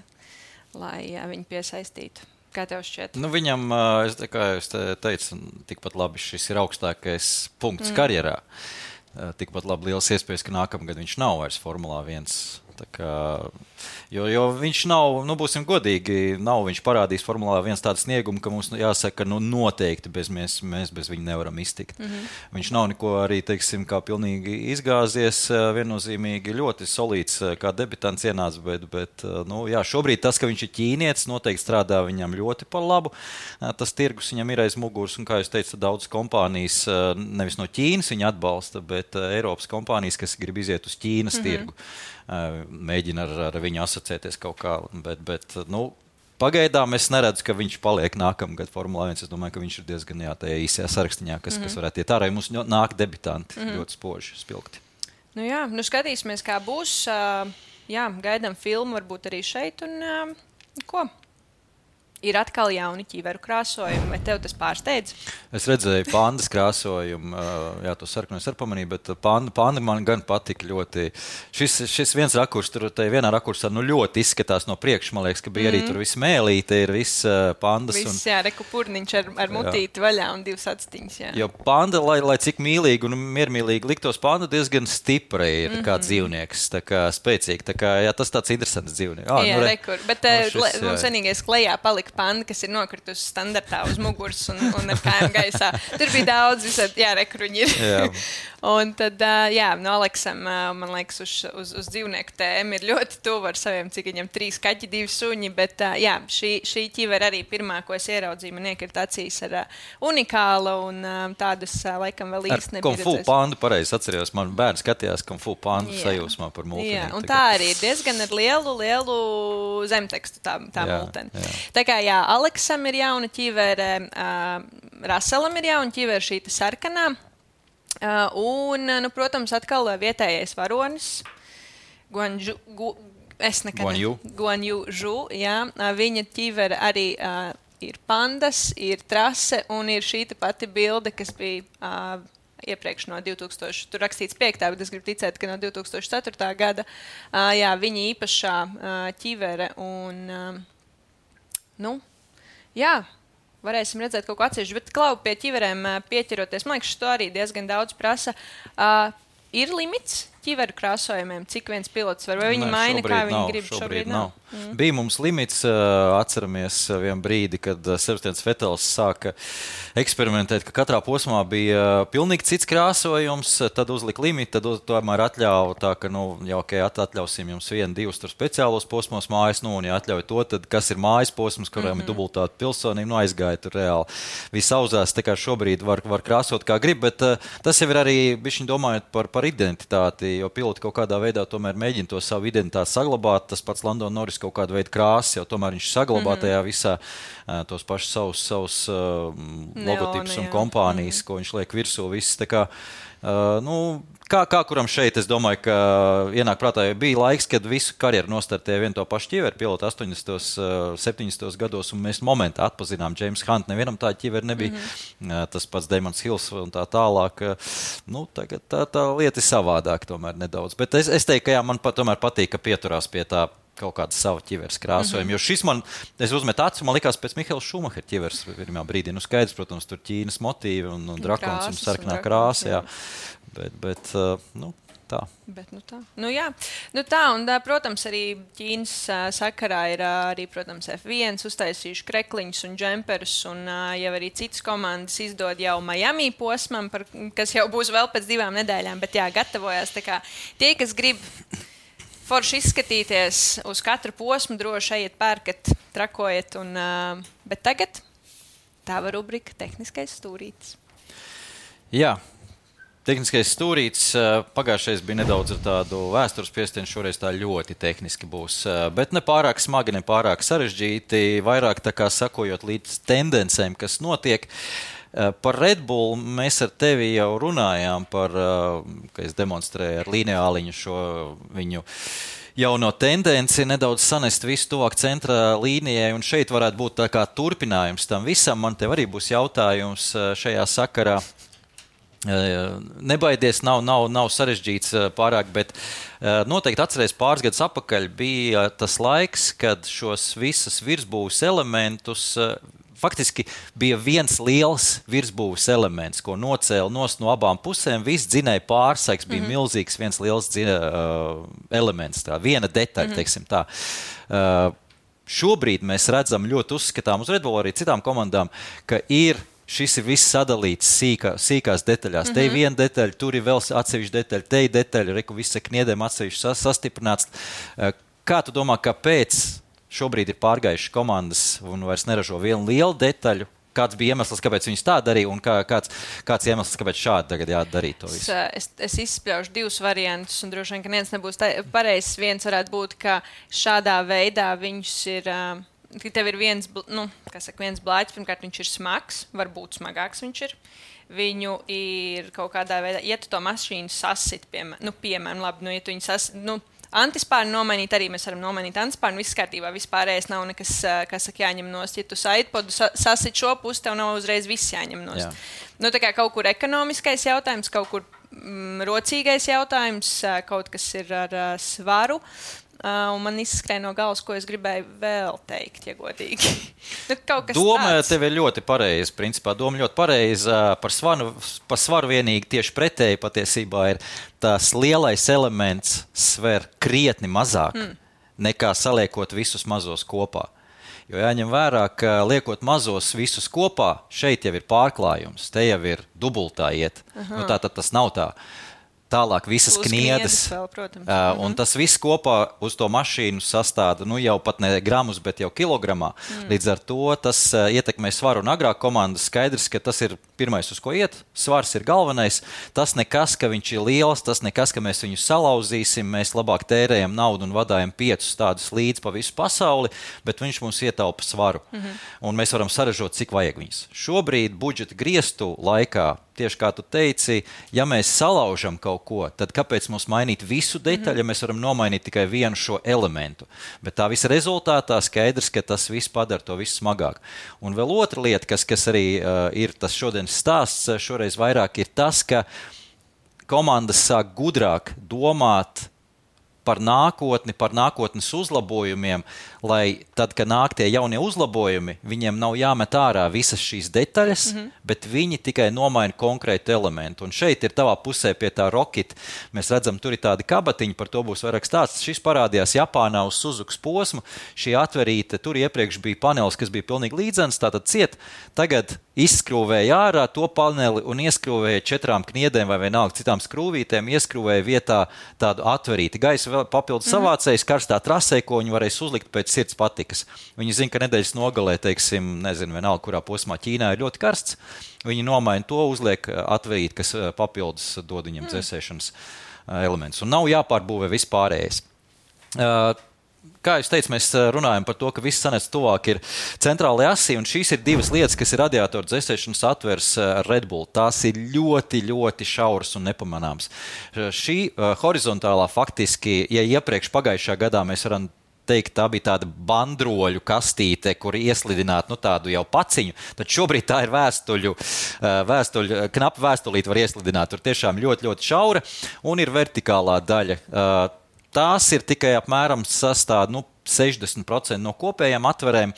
S2: lai uh, viņu piesaistītu. Kā tev šķiet?
S3: Nu, viņam, uh, es, kā jūs te teicu, tikpat labi šis ir augstākais punkts mm. karjerā. Uh, tikpat labi liels iespējas, ka nākamgad viņš nav vairs Formulā viens. Tā kā, jo, jo viņš nav, nu būsim godīgi, nav viņš parādījis Formulā viens tādu sniegumu, ka mums jāsaka, nu noteikti bez mēs, mēs bez viņa nevaram iztikt. Mm-hmm. Viņš nav neko arī, teiksim, kā pilnīgi izgāzies, viennozīmīgi ļoti solīts, kā debitants ienāca, bet, bet nu, jā, šobrīd tas, ka viņš ir ķīnietis, noteikti strādā viņam ļoti par labu. Tas tirgus viņam ir aiz muguras, un kā jūs teicat, daudz kompānijas, nevis no Ķīnas viņa atbalsta, bet Eiropas kompānijas, kas grib iziet uz Ķīnas mm-hmm. tirgu. Mēģina ar, ar viņu asociēties kaut kā, bet, bet nu, pagaidām es neredzu, ka viņš paliek nākamgad Formulā viens. Es domāju, ka viņš ir diezgan jā, tajā īsajā sarakstiņā, kas, mm-hmm. kas varētu iet ārā. Mums nāk debitanti mm-hmm. ļoti spoži, spilgti.
S2: Nu jā, nu skatīsimies, kā būs. Jā, gaidām filmu varbūt arī šeit. Un ko? Ir atkal jauni ķīveru krāsojumi, vai tev tas pārsteidz?
S3: Es redzēju pandas krāsojumu, jā, to sarkanu es arī pamanīju, bet panda, panda man gan patika ļoti. Šis, šis viens rakurs, tur te vienā rakursā nu ļoti izskatās no priekša, man liekas, ka bija mm. arī tur viss mēlīte, ir viss pandas.
S2: Viss,
S3: un,
S2: jā, reku purniņš ar, ar mutīti vaļā un divas atstiņas, jā.
S3: Jo panda, lai, lai cik mīlīgi un miermīlīgi liktos, panda diezgan stipra ir mm-hmm. kā dzīvnieks, tā kā spēcīgi, tā kā, jā, tas tāds interesants dzīvnieks. Ah,
S2: jā,
S3: nu, re,
S2: rekur, bet no šis, mums vienīgais klejā palika panda, kas ir nokritusi standartā uz muguras un, un ar kājām gaisā. Tur bija daudz visādi, jā, rekruņi ir. Jā. Un tad, jā, no Aleksam, man liekas, uz, uz, uz dzīvnieku tēmu ir ļoti tuvu ar saviem, cik viņam trīs kaķi, divi suņi, bet, jā, šī, šī ķivera arī pirmā, ko es ieraudzīju, man iekrit acīs ar unikāla un tādas, laikam, vēl īsti nebija.
S3: Kung Fu pandu, pareizi atcerējos, man bērns skatījās Kung Fu pandu sajūsmā par multeni.
S2: Jā, un tā arī ir diezgan ar lielu, lielu zemtekstu tā, tā jā, multeni. Jā. Tā kā, jā, Aleksam ir jauna ķivere, uh, Raselam ir jauna ķivere, šī sarkanā. Uh, un, nu, protams, atkal vietējais varonis, Guanju, gu, es nekad
S3: Guanju.
S2: ne, Guanju Žu, jā, uh, viņa ķivere arī uh, ir pandas, ir trase un ir šī pati bilde, kas bija uh, iepriekš no divi tūkstoši, tur rakstīts piektā, bet es gribu ticēt, ka no divi tūkstoši ceturtā gada, uh, jā, viņa īpašā uh, ķivere un, uh, nu, jā, varēsim redzēt kaut ko atsevišķu, bet Klau pie ķiverēm pieķeroties, man liekas, to arī diezgan daudz prasa. Uh, ir limits ķiveru krāsojumiem, cik viens pilots var, vai viņi ne, maina, kā viņi
S3: nav,
S2: grib?
S3: Šobrīd, šobrīd nav. nav. Mm. Bija mums limits, atceramies vienu brīdi, kad Sebastians Vetels sāka eksperimentēt, ka katrā posmā bija pilnīgi cits krāsojums, tad uzlika limitu, tad uz, tomēr atļauja tā, ka, nu, jau, ok, atļausim jums vienu, divus tur speciālos posmos mājas, nu, un ja atļauj to, tad kas ir mājas posms, kurām mm-hmm. ir dubultāta pilsonība, nu, aizgāja tur reāli. Viss auzās, tā kā šobrīd var, var krāsot kā grib, bet uh, tas jau ir arī, bišķiņ domājot par, par identitāti, jo piloti kaut kādā veidā tomēr mēģina to savu identitāti saglabāt. Tas pats Landon Norris kaut kādu veidu krāsas, jau tomēr viņš saglabā mm-hmm. tajā visā uh, tos pašus savus, savus uh, logotipus un kompānijas, mm-hmm. ko viņš liek virsū. Viss, tā kā, uh, nu, kā, kā kuram šeit, es domāju, ka ienāk prātā, jo bija laiks, kad visu karjeru nostartēja vienu to pašu ķiveru pilotu astoņdesmitos, septiņdesmitos gados, un mēs momentā atpazinām James Hunt. Nevienam tā ķiveri nebija. Mm-hmm. Uh, tas pats Damons Hills un tā tālāk. Uh, nu, tagad tā, tā lieta ir savādāk tomēr nedaudz. Bet es, es teiktu, ka jā, man pat, tomēr patīk, ka pieturās pie tā kaut kāda sava ķiveres krāsojuma. Mm-hmm. Jo šis man, es uzmetu acu, man likās pēc Mihaila Šumahera ķiveres pirmā brīdī. Nu, skaidrs, protams, tur Ķīnas motīvi un, un drakons un sarkanā krāsa, jā. Bet, bet uh, nu, tā.
S2: Bet, nu tā. Nu jā, nu tā, un tā, protams, arī Ķīnas uh, sakarā ir uh, arī, protams, F viens uztaisījuši krekliņus un džemperus, un uh, jau arī citas komandas izdod jau Miami posmam, par, kas jau būs vēl pēc divām nedēļām, bet jā, gatavojās. Tā kā tie, kas grib forši izskatīties uz katru posmu, droši ejiet, pērkat, trakojiet. Un, uh, bet tagad tava rubrika tehniskais stūrītis.
S3: Jā, tehniskais stūrītis. Pagājušais bija nedaudz ar tādu vēstures piestienu, šoreiz tā ļoti tehniski būs. Bet ne pārāk smagi, ne pārāk sarežģīti, vairāk tā kā sakojot līdz tendencēm, kas notiek. Par Red Bull mēs ar tevi jau runājām, par, ka es demonstrēju ar lineāliņu šo viņu jauno tendenci, nedaudz sanest visu tuvāk centra līnijai, un šeit varētu būt tā kā turpinājums tam visam. Man tev arī būs jautājums šajā sakarā. Nebaidies, nav, nav, nav sarežģīts pārāk, bet noteikti atceries pāris gadus atpakaļ bija tas laiks, kad šos visas virsbūves elementus faktiski bija viens liels virsbūves elements, ko nocēla nost no abām pusēm. Viss dzinēja pārsaiks, bija mm-hmm. milzīgs viens liels dzina, uh, elements, tā, viena detaļa, mm-hmm. teiksim tā. Uh, šobrīd mēs redzam ļoti uzskatām uz Red Bull arī citām komandām, ka ir šis ir viss sadalīts sīkā, sīkās detaļās. Mm-hmm. Te ir viena detaļa, tur ir vēl atsevišķa detaļa, te ir detaļa, reku viss ar kniedēm atsevišķi sastiprināts. Uh, kā tu domā, kāpēc šobrīd ir pārgājuši komandas un vairs neražo vienu lielu detaļu? Kāds bija iemesls, kāpēc viņus tā darīja, un kā, kāds, kāds iemesls, kāpēc šādi tagad jādarīt to visu?
S2: Es, es izspļaušu divus variantus, un droši vien, ka viens nebūs pareizs. Viens varētu būt, ka šādā veidā viņus ir, ka tev ir viens, nu, kā saka, viens blāķis, pirmkārt viņš ir smags, varbūt smagāks viņš ir. Viņu ir kaut kādā veidā, ja tu to mašīnu sasit, piemēram, nu, piemēram, labi, nu, ja tu viņu sasit, nu, antispārnu nomainīt, arī mēs varam nomainīt antispārnu. Viss kārtībā, vispārējais nav nekas, kas saka, jāņem nost. Ja tu saitpodu sasit šo pusi, tev nav uzreiz viss jāņem nost. Jā. Nu, tā kā kaut kur ekonomiskais jautājums, kaut kur mm, rocīgais jautājums, kaut kas ir ar uh, svaru. Uh, un man izskrēja no galvas, ko es gribēju vēl teikt, ja godīgi. Nu,
S3: doma tāds. Tev ir ļoti pareiza, principā. Doma ļoti pareiza. Par svaru, par svaru vienīgi tieši pretēji patiesībā ir tās lielais elements sver krietni mazāk mm. nekā saliekot visus mazos kopā. Jo jāņem vērā, ka liekot mazos visus kopā, šeit jau ir pārklājums, te jau ir dubultā iet. Nu, tā tad tas nav tā. Tālāk visas
S2: Plus
S3: kniedes,
S2: vēl, protams.
S3: uh, un tas viss kopā uz to mašīnu sastāda, nu jau pat ne gramus, bet jau kilogramā. Mm. Līdz ar to tas uh, ietekmē svaru, un agrāk komandas skaidrs, ka tas ir pirmais, uz ko iet. Svars ir galvenais. Tas nekas, ka viņš ir liels, tas nekas, ka mēs viņu salauzīsim, mēs labāk tērējam naudu un vadājam piecus tādus līdz pa visu pasauli, bet viņš mums ietaupa svaru. Mm-hmm. Un mēs varam saražot, cik vajag viņus. Šobrīd budžeta griestu laikā, tieši kā tu teici, ja mēs salaužam kaut ko, tad kāpēc mums mainīt visu detaļu, mm-hmm. ja mēs varam nomainīt tikai vienu šo elementu? Bet tā visa rezultātā skaidrs, ka tas viss padara to visu smagāk. Un vēl otra lieta, kas, kas arī uh, ir tas šodienas stāsts, šoreiz vairāk ir tas, ka komandas sāk gudrāk domāt par nākotni, par nākotnes uzlabojumiem, lai tad, kad nāk tie jaunie uzlabojumi, viņiem nav jāmet ārā visas šīs detaļas, mm-hmm. bet viņi tikai nomaina konkrētu elementu. Un šeit ir tavā pusē pie tā Rocket. Mēs redzam, tur ir tādi kabatiņi, par to būs vairāk stāsts. Šis parādījās Japānā uz Suzukas posmu. Šī atverīte, tur iepriekš bija panelis, kas bija pilnīgi līdzens, tātad ciet. Tagad izskrūvēja ārā to paneli un ieskrūvēja četrām kniedēm vai vienalga citām skrūvītēm, ieskrūvēja vietā tādu atverīti. Gaisa vēl papildus mm-hmm. savācējs karstā trasē, ko viņi varēs uzlikt pēc sirds patikas. Viņi zina, ka nedēļas nogalē, teiksim, nezinu, vienalga, kurā posmā Ķīnā ir ļoti karsts. Viņi nomaina to, uzliek atverīti, kas papildus dod viņam mm. dzēsēšanas elements. Un nav jāpārbūvē vispārējais. Uh, Kā jūs teicu, mēs runājam par to, ka viss sanec tuvāk ir centrālajā asī, un šīs ir divas lietas, kas ir radiatoru dzēsēšanas atvers ar Red Bull. Tās ir ļoti, ļoti šauras un nepamanāmas. Šī uh, horizontālā faktiski, ja iepriekš pagājušā gadā mēs varam teikt, tā bija tāda bandroļu kastīte, kur ieslidināt nu, tādu jau paciņu, tad šobrīd tā ir vēstuļu, vēstuļu knapa vēstulīte var ieslidināt. Tur tiešām ļoti, ļoti šaura, un ir vertikālā daļa. Uh, Tās ir tikai apmēram sastāv nu, sešdesmit procenti no kopējām atverēm,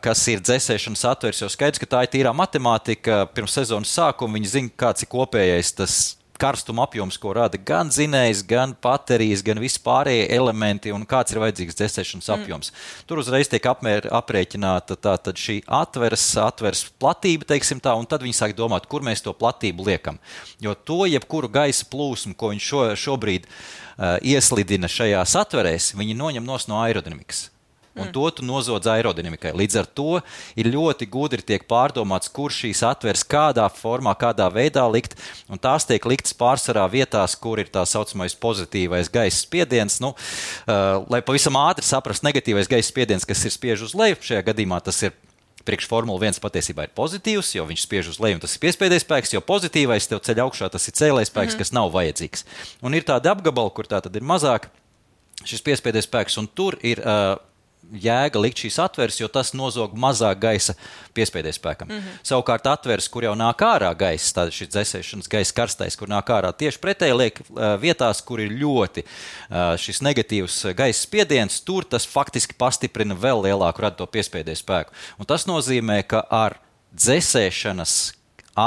S3: kas ir dzēsēšanas atvers, jo skaidrs, ka tā ir tīrā matemātika. Pirms sezonas sākuma viņi zina, kāds ir kopējais tas karstuma apjoms, ko rada gan dzinējs, gan baterijas, gan vispārējie elementi un kāds ir vajadzīgs dzēsēšanas apjoms. Mm. Tur uzreiz tiek apmēr, aprēķināta tātad šī atveres, atveres platība, teiksim tā, un tad viņi sāk domāt, kur mēs to platību liekam. Jo to jebkuru gaisa plūsmu, ko viņš šo, šobrīd uh, ieslidina šajās atverēs, viņi noņem nos no aerodinamikas. Un mm. to tu nozodz aerodinamikai. Līdz ar to ir ļoti gudri tiek pārdomāts, kur šīs atveres kādā formā, kādā veidā likt, un tās tiek liktas pārsvarā vietās, kur ir tā saucamais pozitīvais gaisa spiediens. Nu, uh, lai pavisam ātri saprast, negatīvais gaisa spiediens, kas ir spiež uz leju, šajā gadījumā tas ir priekš Formula viens patiesībā ir pozitīvs, jo viņš spiež uz leju, un tas ir piespēdējs spēks, jo pozitīvais tev ceļ augšā, tas ir cēlējs spēks, mm. kas nav vajadzīgs. Un ir tādi apgabali, kur tā tad ir mazāk šis piespēdējs spēks, un tur ir uh, jēga likt šīs atveres, jo tas nozog mazāk gaisa piespēdēs spēkam. Mm-hmm. Savukārt atveres, kur jau nāk ārā gaisa, tāda šis dzēsēšanas gaisa karstais, kur nāk ārā tieši pretēji liek uh, vietās, kur ir ļoti uh, šis negatīvs gaisa spiediens, tur tas faktiski pastiprina vēl lielāku rada to piespēdēs spēku. Un tas nozīmē, ka ar dzēsēšanas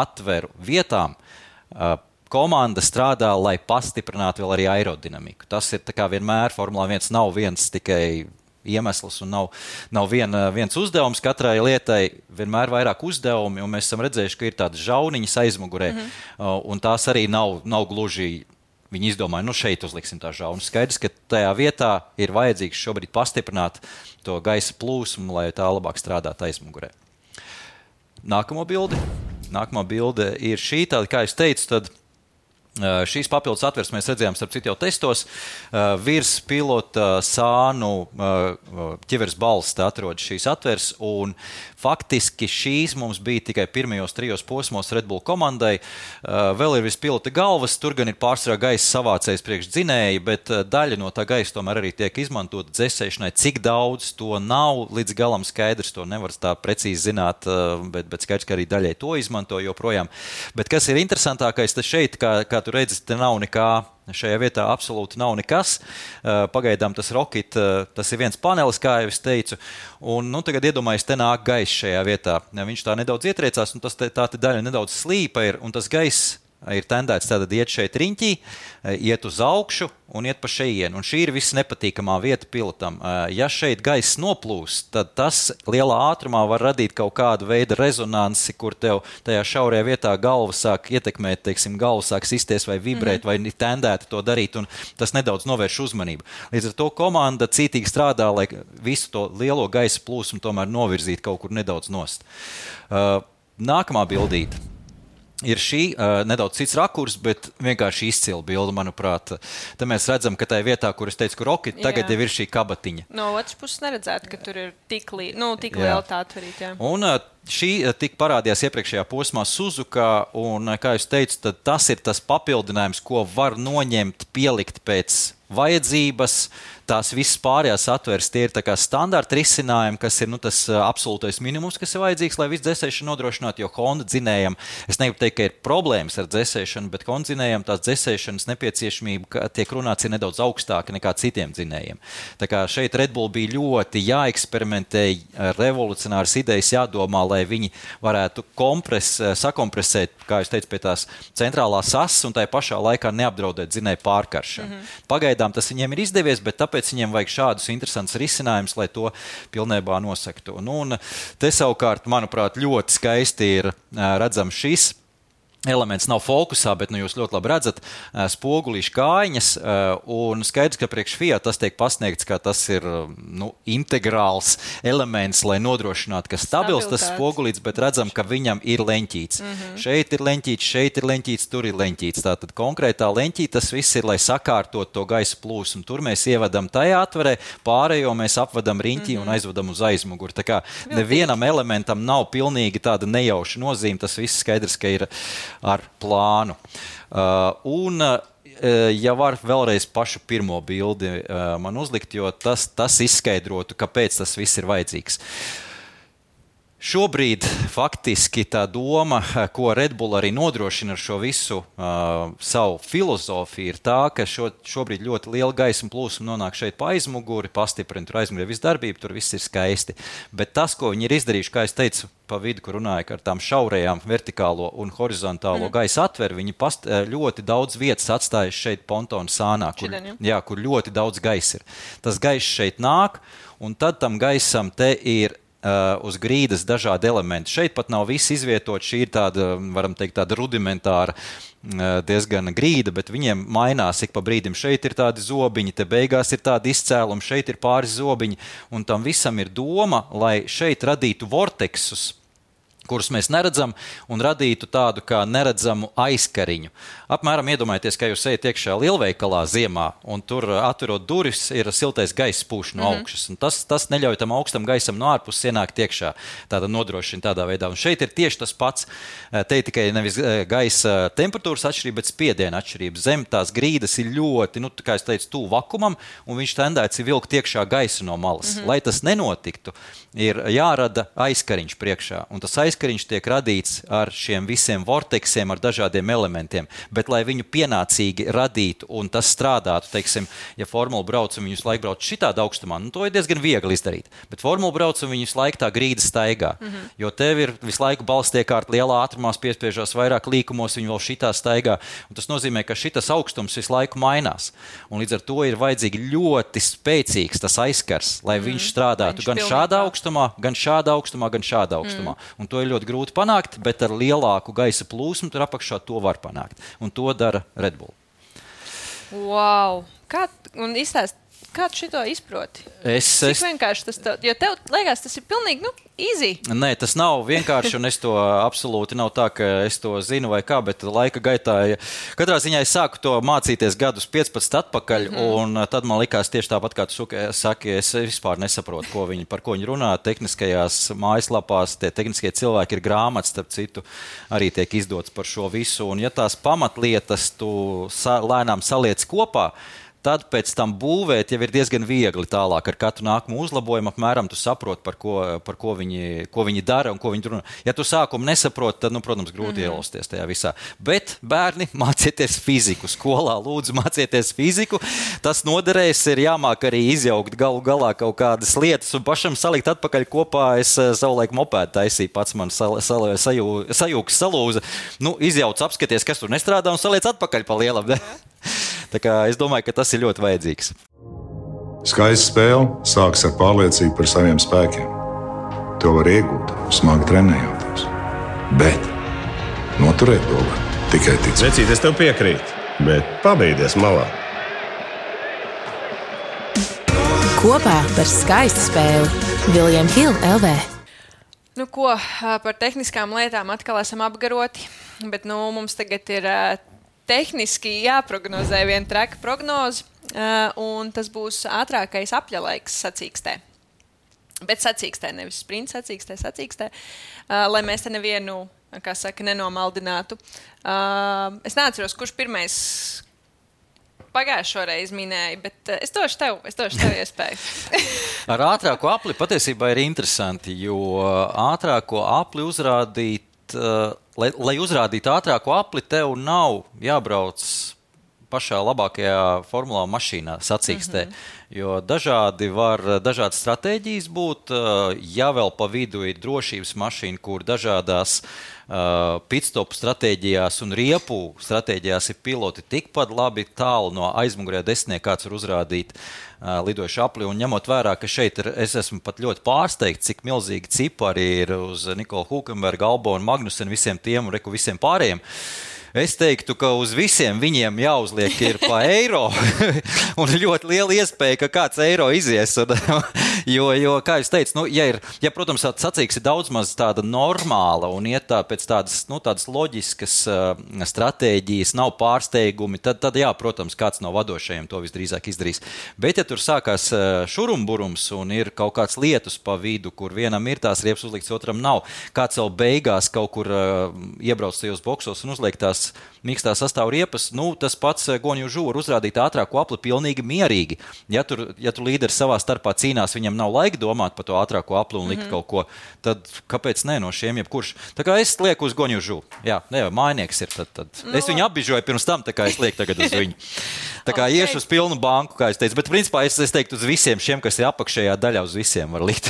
S3: atveru vietām uh, komanda strādā, lai pastiprinātu vēl arī aerodinamiku. Tas ir tā kā vienmēr Formula viens nav viens tikai iemesls un nav, nav vien, viens uzdevums katrai lietai, vienmēr vairāk uzdevumi, un mēs esam redzējuši, ka ir tādas žauniņas aizmugurē, mm-hmm. un tās arī nav, nav gluži, viņi izdomāja, nu šeit uzliksim tā žaunas. Skaidrs, ka tajā vietā ir vajadzīgs šobrīd pastiprināt to gaisa plūsmu, lai tā labāk strādātu aizmugurē. Nākamo bildi. Nākamā bilde ir šī, tāda, kā es teicu, tad Uh, šīs papildus atveres mēs redzējām starp citu jau testos. Uh, virs pilota sānu uh, ķiveres balsta atrodas šīs atveres, un faktiski šīs mums bija tikai pirmajos trijos posmos Red Bull komandai. Uh, vēl ir virs pilota galvas, tur gan ir pārsvarā gaisa savācējs priekš dzinēji, bet uh, daļa no tā gaisa tomēr arī tiek izmantota dzēsēšanai. Cik daudz to nav līdz galam skaidrs, to nevar tā precīzi zināt, uh, bet, bet skaidrs, ka arī daļai to izmanto joprojām. Bet kas ir interesantākais, tas šeit, kā, kā tu redzi, te nav nekā, šajā vietā absolūti nav nekas. Pagaidām tas Rocket, tas ir viens panelis, kā jau es teicu, un nu, tagad iedomājies, te nāk gaiss šajā vietā. Viņš tā nedaudz ietriecās, un tas te, tā te daļa nedaudz slīpa ir, un tas gaiss ir tendēts tātad iet šeit riņķī, iet uz augšu un iet pa šejienu. Un šī ir visnepatīkamā vieta pilotam. Ja šeit gaiss noplūst, tad tas lielā ātrumā var radīt kaut kādu veidu rezonansi, kur tev tajā šaurajā vietā galva sāk ietekmēt, teiksim, galva sāk sisties vai vibrēt, mm-hmm. vai tendēti to darīt, un tas nedaudz novērš uzmanību. Līdz ar to komanda cītīgi strādā, lai visu to lielo gaisa plūsmu tomēr novirzītu kaut kur nedaudz nost. Nākamā bildīte. Ir šī uh, nedaudz cits rakurs, bet vienkārši izcila bilde, manuprāt. Te mēs redzam, ka tajā vietā, kur es teicu, ka Rocket, tagad jau ir šī kabatiņa.
S2: No otras puses neredzētu, ka tur ir tik, li... nu, tik liela tā atverīt. Jā.
S3: Un uh, šī uh, tik parādījās iepriekšējā posmā Suzuka, un, uh, kā jūs teicu, tad tas ir tas papildinājums, ko var noņemt, pielikt pēc vajadzības. tās visas pārējās atveres, tie ir tā kā standarta risinājumi, kas ir nu, tas absolūtais minimums, kas ir vajadzīgs, lai visu dzēsēšanu nodrošinātu, jo Honda dzinējam, es negribu teikt, ka ir problēmas ar dzēsēšanu, bet Honda dzinējam tās dzēsēšanas nepieciešamība, tiek runāts, ir nedaudz augstāka nekā citiem dzinējiem. Tā kā šeit Red Bull bija ļoti jāeksperimentē, revolucionāras idejas jādomā, lai viņi varētu kompres, sakompresēt, kā jūs teicu, pie tās centrālās asas un tai pašā laikā neapdraudēt dzinēju pārkaršanu. Mm-hmm. Pagaidām tas viņiem ir izdevies, bet tāpēc viņiem vajag šādus interesantus risinājumus, lai to pilnībā nosaktu. Nu, un te savukārt, manuprāt, ļoti skaisti ir redzams šis elements nav fokusā, bet nu, jūs ļoti labi redzat spogulīšu kājiņas, un skaidrs, ka priekš Fiat tas tiek pasniegts, ka tas ir nu, integrāls elements, lai nodrošinātu, ka stabils tas spogulīts, bet redzam, ka viņam ir leņķīts. Mm-hmm. Šeit ir leņķīts, šeit ir leņķīts, tur ir leņķīts. Tātad konkrētā leņķīta tas viss ir, lai sakārtot to gaisa plūsmu. Tur mēs ievedam tajā atverē, pārējo mēs apvedam riņķī mm-hmm. un aizvedam uz aizmuguri. Tā kā nevienam elementam nav pilnīgi tāda nejauša nozīme, tas viss skaidrs, ka ir ar plānu. Uh, un, uh, ja var vēlreiz pašu pirmo bildi uh, man uzlikt, jo tas, tas izskaidrotu, kāpēc tas viss ir vajadzīgs. Šobrīd faktiski tā doma, ko Red Bull arī nodrošina ar šo visu uh, savu filozofiju, ir tā, ka šo, šobrīd ļoti liela gaisma plūsma nonāk šeit pa aizmuguri, pastiprina tur aizmuguri visu darbību, tur viss ir skaisti. Bet tas, ko viņi ir izdarījuši, kā es teicu, pa vidu, kur runāja ar tām šaurajām vertikālo un horizontālo mm. gaisa atver, viņi past, ļoti daudz vietas atstājuši šeit pontonu sānā, kur, Čiden, jā, kur ļoti daudz gaisa ir. Tas gaiss šeit nāk, un tad tam gaisam te ir Uh, uz grīdas dažādi elementi. Šeit pat nav viss izvietot, šī ir tāda, varam teikt, tāda rudimentāra uh, diezgan grīda, bet viņiem mainās ik pa brīdim. Šeit ir tādi zobiņi, te beigās ir tādi izcēlumi, šeit ir pāris zobiņi, un tam visam ir doma, lai šeit radītu vorteksus, kurus mēs neredzam, un radītu tādu kā neredzamu aizkariņu. Apmēram iedomājieties, ka jūs ejat iekšā lielveikalā ziemā, un tur atverot durvis ir siltais gaiss pūš no augšas, un tas, tas neļauj tam augstam gaisam no ārpuses ienākt iekšā, tāda nodrošina tādā veidā. Un šeit ir tieši tas pats, te tikai nevis gaisa temperatūras atšķirība, bet spiediena atšķirība. Zem tās grīdas ir ļoti, nu, kā es teicu, tuvu vakumam, un viņš tendēts ir vilkt iekšā gaisu no malas. Mm-hmm. Lai tas nenotiktu, ir jārada aizkariņš priekšā, un tas aizkariņš tiek radīts ar šiem visiem vorteksiem, ar dažādiem elementiem, bet lai viņu pienācīgi radītu un tas strādātu, teiksim, ja formula brauc un viņus laiku brauc šitādā augstumā, nu to ir diezgan viegli izdarīt, bet formula brauc un viņus laiku tā grīda staigā, mm-hmm. jo tev ir visu laiku balsts tiek kārt lielā ātrumā, piespiežās vairāk līkumos, viņi vēl šitā staigā, un tas nozīmē, ka šitas augstums visu laiku mainās, un līdz ar to ir vajadzīgi ļoti spēcīgs tas aizskars, lai mm-hmm. viņš strādātu viņš gan pilnībā. šādā augstumā, gan šādā augstumā, gan šādā augstumā, mm. un to ir ļoti grūti panākt, bet ar lielāku gaisa plūsmu tur apakšā to var panākt. Un to dara Red Bull.
S2: Wow! Kā, un izstāst, kā tu šito izproti?
S3: Es,
S2: Cik
S3: es...
S2: vienkārši tas tev, jo tev liekas, tas ir pilnīgi, nu, easy.
S3: Nē, tas nav vienkārši, un es to absolūti nav tā, ka es to zinu vai kā, bet laika gaitā, katrā ziņā es sāku to mācīties gadus piecpadsmit atpakaļ, mm-hmm. un tad man likās tieši tāpat, kā tu saki, es vispār nesaprotu, ko viņi, par ko viņi runā. Tehniskajās mājaslapās, tie tehniskie cilvēki ir grāmatas, starp citu, arī tiek izdots par šo visu, un ja tās pamatlietas tu sa- lēnām saliec kopā, tad pēc tam būvēt jau ir diezgan viegli tālāk. Ar katru nākamo uzlabojumu apmēram tu saproti, par ko, par ko, viņi, ko viņi dara un ko viņi runā. Ja tu sākumu nesaproti, tad, nu, protams, grūti mm-hmm. ielausties tajā visā. Bet, bērni, mācieties fiziku skolā. Lūdzu, mācieties fiziku. Tas noderēs, ir jāmāk arī izjaukt galu galā kaut kādas lietas un pašam salikt atpakaļ kopā. Es savulaik mopēdu taisīju, pats man sal, sal, sajū, sajūgs salūza. Nu, izjauc, apskaties, kas tur nestrādā un saliec atpakaļ pa lielam. Tā kā es domāju, ka tas ir ļoti vajadzīgs.
S4: Skaista spēle sākas ar pārliecību par saviem spēkiem. To var iegūt, smagi trenējoties. Bet noturēt to var tikai ticēt.
S5: Vecīt, es tev piekrītu, bet pabeigties malā.
S6: Kopā par skaistu spēli William Hill L V.
S2: Nu ko, par tehniskām lietām atkal esam apgaroti, bet nu, mums tagad ir tehniski jāprognozē viena treka prognoze, un tas būs ātrākais apļalaiks sacīkstē. Bet sacīkstē, nevis sprints sacīkstē, sacīkstē, lai mēs te nevienu, kā saka, nenomaldinātu. Es neatceros, kurš pirmais pagājušo reizi minēji, bet uh, es došu tev, es došu tev iespēju.
S3: Ar ātrāko apli patiesībā ir interesanti, jo ātrāko apli uzrādīt, uh, lai, lai uzrādītu ātrāko apli, tev nav jābrauc pašā labākajā formulā mašīnā sacīkstē, mm-hmm. jo dažādi var, dažādas stratēģijas būt, ja vēl pa vidu ir drošības mašīna, kur dažādās uh, pitstopu stratēģijās un riepu stratēģijās ir piloti tikpat labi tālu no aizmugurē desmitnie, kāds var uzrādīt uh, lidojušu apli, un ņemot vērā, ka šeit ir, es esmu pat ļoti pārsteigts, cik milzīgi cipari ir uz Nikolu Hulkenbergu, Albonu, Magnusen, visiem tiem un reku visiem pārējiem. Es teiktu, ka uz visiem viņiem jāuzliek ir pa eiro, un ļoti liela iespēja, ka kāds eiro izies. Un, jo, jo, kā jūs teicu, nu, ja, ir, ja, protams, sacīks ir daudz maz tāda normāla un iet tā pēc tādas, nu, tādas loģiskas uh, stratēģijas, nav pārsteigumi, tad, tad jā, protams, kāds no vadošajiem to visdrīzāk izdarīs. Bet, ja tur sākās uh, šurumburums un ir kaut kāds lietus pa vidu, kur vienam ir tās riepas uzlikts, otram nav, kāds vēl beigās kaut kur uh, iebrauc tajos boksos un uzliek tās mīkstā sastāv riepas, nu, tas pats Guanju Zhu var uzrādīt ātrāko apli pilnīgi mierīgi. Ja tur, ja tur līderi savā starpā cīnās, viņam nav laika domāt par to ātrāko apli un likt mm-hmm. kaut ko, tad kāpēc ne no šiem jebkurš? Tā kā es lieku uz Guanju Zhu. Jā, ne, mainieks ir, tad, tad. No. Es viņu apbižoju pirms tam, tā kā es lieku tagad uz viņu. Tā kā okay. iešu uz pilnu banku, kā es teicu, bet principā es, es teiktu uz visiem šiem, kas ir apakšējā daļā, uz visiem var likt.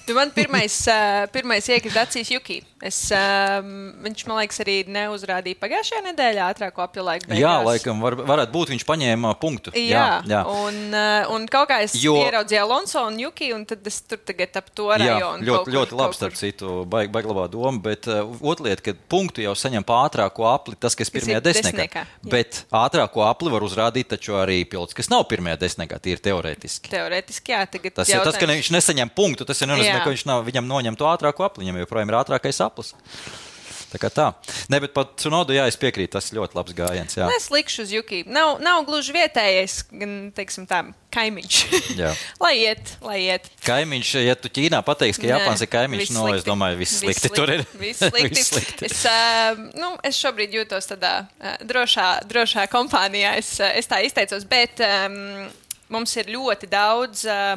S2: Tu man pirmais, uh, pirmais iekrita acīs Juki. Es, uh, viņš, man liekas, arī neuzrādīja pagājušajā nedēļā ātrāko apļu laiku beigās.
S3: Jā, laikam, var, varētu būt, viņš paņēma punktu.
S2: Jā,
S3: jā, jā.
S2: Un, uh, un kaut kā es jo... ieraudzīju Alonso un Juki, un tad es tur tagad ap to rajonu.
S3: Jā, ļoti, ļoti labi, starp citu, baig, baig labā doma, bet uh, otra lieta, ka punktu jau saņem pa ātrāko apli, tas, kas pirmajā desmitniekā. Bet ātrāko apli var uzrādīt taču arī pilots, kas nav pirmajā desmitniekā, tīri teorētiski.
S2: Teorētiski, jā. Tagad
S3: tas,
S2: jautājums...
S3: tas, ka viņš nesaņem punktu, tas ir nenozīmē, ka viņš nav, viņam noņem to ātrāko apli, viņam joprojām ir ātrākais aplis. Tā kā tā. Ne, bet pat Tsunodu, jā, es piekrītu, tas ir ļoti labs gājiens. Jā.
S2: Es likšu uz Juki. Nav, nav gluži vietējais, gan, teiksim tā, kaimiņš. lai iet, lai iet.
S3: Kaimiņš, ja tu Ķīnā pateiksi, ka Japāns ir kaimiņš, no, es domāju, viss slikti tur ir.
S2: Viss slikti. Viss slikti. Es, uh, nu, es šobrīd jūtos tādā uh, drošā, drošā kompānijā. Es, uh, es tā izteicos, bet um, mums ir ļoti daudz uh,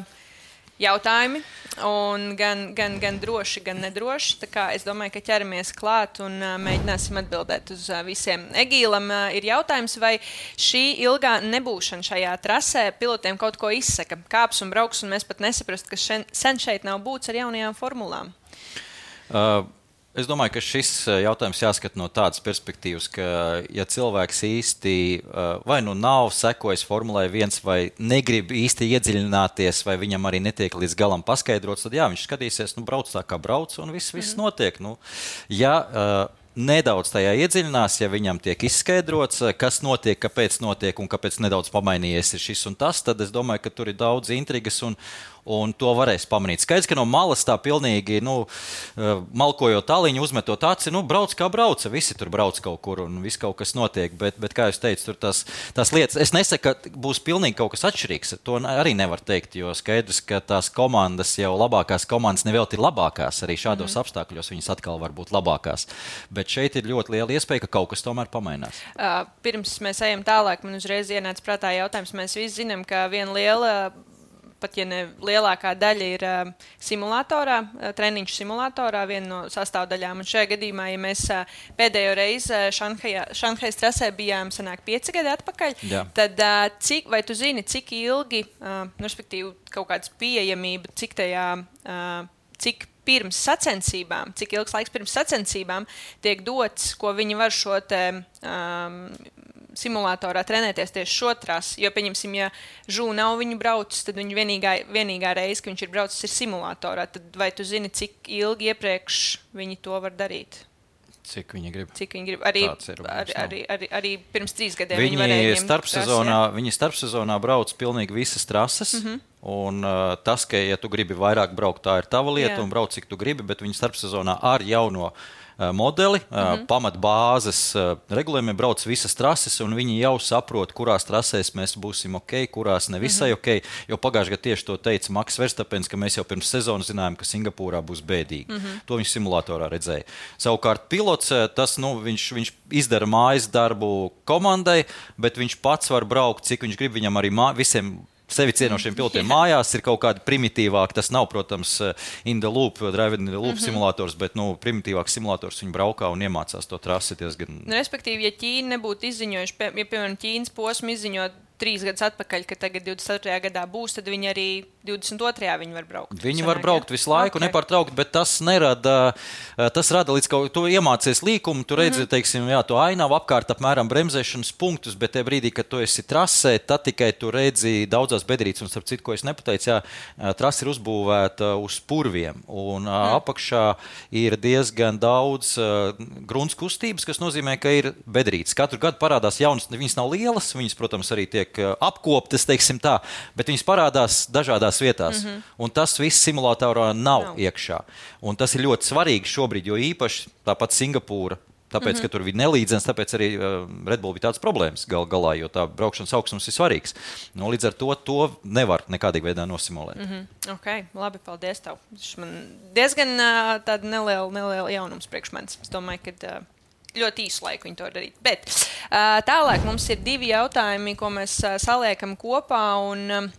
S2: jautājumi. Un gan, gan, gan droši, gan nedroši. Tā kā es domāju, ka ķeramies klāt un uh, mēģināsim atbildēt uz uh, visiem. Egīlam uh, ir jautājums, vai šī ilgā nebūšana šajā trasē pilotiem kaut ko izsaka. Kāps un brauks, un mēs pat nesaprast, ka šen, sen šeit nav būts ar jaunajām formulām.
S3: Uh. Es domāju, ka šis jautājums jāskat no tādas perspektīvas, ka ja cilvēks īsti vai nu nav sekojis formulai viens vai negrib īsti iedziļināties, vai viņam arī netiek līdz galam paskaidrots, tad jā, viņš skatīsies, nu brauc tā kā brauc un viss, viss mm. notiek. Nu, ja uh, nedaudz tajā iedziļinās, ja viņam tiek izskaidrots, kas notiek, kāpēc notiek un kāpēc nedaudz pamainījies ir šis un tas, tad es domāju, ka tur ir daudz intrigas un Un to varēs pamanīt. Skaidrs, ka no malas tā pilnīgi, nu, malkojot tāliņu, uzmetot aci, nu, brauc kā brauca. Visi tur brauc kaut kur un viss kaut kas notiek. Bet, bet kā jūs teicu, tur tās, tās lietas, es nesaku, ka būs pilnīgi kaut kas atšķirīgs. To arī nevar teikt, jo skaidrs, ka tās komandas jau labākās komandas nevēlt ir labākās. Arī šādos mm-hmm. apstākļos viņas atkal var būt labākās. Bet šeit ir ļoti liela iespēja, ka kaut kas tomēr pamainās.
S2: Uh, pirms mēs ejam tālāk, man uzreiz ienāca prātā jautājums. Mēs visi zinām, ka viena liela... pat ja ne lielākā daļa ir uh, simulatorā, uh, treniņš simulatorā, viena no sastāvdaļām. Un šajā gadījumā, ja mēs uh, pēdējo reizi uh, Šanhajas trasē bijām sanāk pieci gadi atpakaļ, Jā. tad uh, cik, vai tu zini, cik ilgi, uh, respektīvi kaut kādas pieejamība, cik tajā, uh, cik pirms sacensībām, cik ilgs laiks pirms sacensībām tiek dots, ko viņi var šo te... Um, simulatorā trenēties tieši šo trasi, jo, pieņemsim, ja Žū nav viņu braucis, tad viņa vienīgā, vienīgā reize, ka viņš ir braucis, ir simulatorā. Tad vai tu zini, cik ilgi iepriekš viņi to var darīt?
S3: Cik viņi grib?
S2: Cik viņi grib? Arī,
S3: ir,
S2: arī, arī, arī, arī pirms trīs gadiem
S3: viņi,
S2: viņi varēja ņemt
S3: starpsezonā, viņi starpsezonā brauc pilnīgi visas trases, mm-hmm. un uh, tas, ka, ja tu gribi vairāk braukt, tā ir tava lieta, Jā. Un brauc, cik tu gribi, bet viņi starpsezonā ar jauno modeli, mm-hmm. pamatbāzes regulējumiem brauc visas trases, un viņi jau saprot, kurās trasēs mēs būsim ok, kurās nevisai mm-hmm. ok, jo pagājušajā gadā tieši to teica Maks Verstapens, ka mēs jau pirms sezonas zinājām, ka Singapūrā būs bēdīgi. Mm-hmm. To viņš simulatorā redzēja. Savukārt pilots, tas, nu, viņš, viņš izdara mājas darbu komandai, bet viņš pats var braukt, cik viņš grib, viņam arī mā, visiem sevi cienošiem pilotiem mājās ir kaut kādi primitīvāki. Tas nav, protams, in the loop, drive in the loop mm-hmm. simulators, bet nu, primitīvāks simulators viņi braukā un iemācās to trasi diezgan.
S2: Respektīvi, ja Ķīna nebūtu izziņojuši, ja, piemēram, Ķīnas posmu izziņot trīs gadus atpakaļ, ka tagad divdesmit ceturtajā gadā būs, tad viņi arī divdesmit otrajā viņi var braukt.
S3: Viņi var braukt visu laiku, okay. nepārtraukt, bet tas nerada, tas rada līdz kaut to iemācies līkumu, tu redzi, mm-hmm. teiksim, jā, to ainavu apkārt apmēram bremzēšanas punktus, bet tie brīdī, kad tu esi trasē, tad tikai tu redzi daudzās bedrītes, un starp citu, ko es nepateicu, jā, trasa ir uzbūvēta uz purviem, un mm. apakšā ir diezgan daudz uh, grunts kustības, kas nozīmē, ka ir bedrītes. Katru gadu parādās jaunas, viņas nav lielas, viņas, protams, arī tiek apkoptas, teiksim tā, bet viņas parādās dažādās vietās. Mm-hmm. Un tas viss simulatorā nav no. iekšā. Un tas ir ļoti svarīgi šobrīd, jo īpaši tāpat Singapūra, tāpēc, mm-hmm. ka tur bija nelīdzens, tāpēc arī uh, Red Bull bija tāds problēmas gal galā, jo tā braukšanas augstums ir svarīgs. Nu, līdz ar to to nevar nekādīgi veidā nosimulēt.
S2: Mm-hmm. Ok, labi, paldies tev. Man diezgan uh, tāda neliela, neliela jaunums priekš manis. Es domāju, ka uh, ļoti īsu laiku viņi to darīt. Bet uh, tālāk mums ir divi jautājumi, ko mēs uh, saliekam kopā, un um,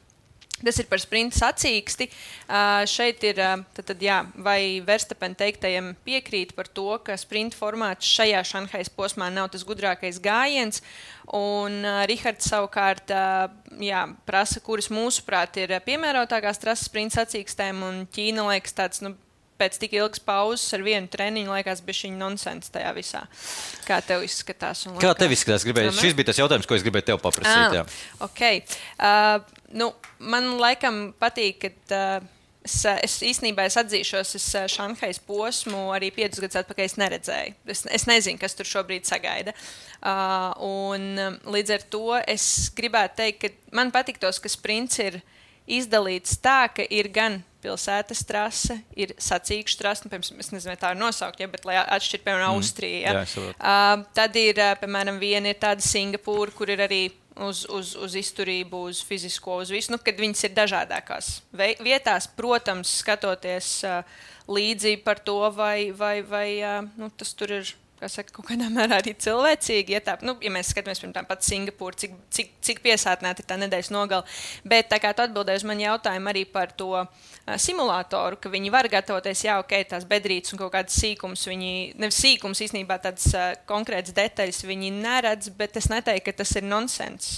S2: tas ir par sprinta sacīksti. Uh, šeit ir, uh, tad, tad, jā, vai Verstappen teiktajiem piekrīt par to, ka sprinta formāts šajā Šanhajas posmā nav tas gudrākais gājiens, un uh, Rihards savukārt uh, jā, prasa, kuras mūsuprāt ir piemērotākās trases sprinta sacīkstēm, un Ķīna liekas tāds, nu, pēc tik ilgas pauzes ar vienu treniņu liekas bišķiņ nonsens tajā visā. Kā tev izskatās? Un
S3: Kā tev izskatās? Gribēju, šis bija tas jautājums, ko es gribēju tev paprasīt. Jā.
S2: Ah, ok. Uh, nu, man laikam patīk, ka uh, es, es īstenībā es atzīšos, es Šanhajas posmu arī piecus gadus atpakaļ es neredzēju. Es, es nezinu, kas tur šobrīd sagaida. Uh, un um, līdz ar to es gribētu teikt, ka man patiktos, ka sprints ir izdalīts tā, ka ir gan pilsētas trase, ir sacīkšu trase, nu, piemēram, es nezinu, tā ir nosaukt, ja, bet lai atšķir, piemēram, mm. Austrija. Ja. Jā, uh, tad ir, piemēram, viena ir tāda Singapūra, kur ir arī uz, uz, uz izturību, uz fizisko, uz visu, nu, kad viņas ir dažādākās vietās, protams, skatoties uh, līdzi par to, vai, vai, vai uh, nu, tas tur ir, kā saka, kaut kādā mērā arī cilvēcīgi. Ja, tā, nu, ja mēs skatāmies, piemēram, pat Singapūru, cik, cik, cik piesātnēta ir tā nedēļas nogala. Bet tā kā tu atbildēji uz mani jautājumu arī par to uh, simulātoru, ka viņi var gatavoties, jā, ok, tās bedrītes un kaut kādas sīkums, viņi, nevis sīkums, īstenībā tādas uh, konkrētas detaļas viņi neredz, bet es neteiktu, ka tas ir nonsens.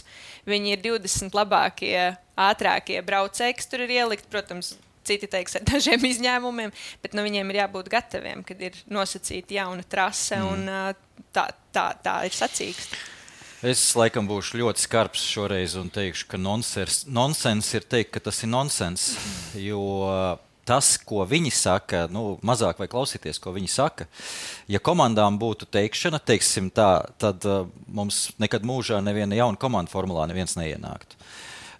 S2: Viņi ir divdesmit labākie, ātrākie braucēji, kas tur ir ielikt, protams, citi teiks ar dažiem izņēmumiem, bet nu, viņiem ir jābūt gataviem, kad ir nosacīta jauna trase, mm. un tā, tā, tā ir sacīksta.
S3: Es laikam būšu ļoti skarbs šoreiz un teikšu, ka nonsens, nonsens ir teikt, ka tas ir nonsens, jo tas, ko viņi saka, nu, mazāk vai klausīties, ko viņi saka, ja komandām būtu teikšana, teiksim tā, tad uh, mums nekad mūžā neviena jauna komanda formulā neviens neienāktu.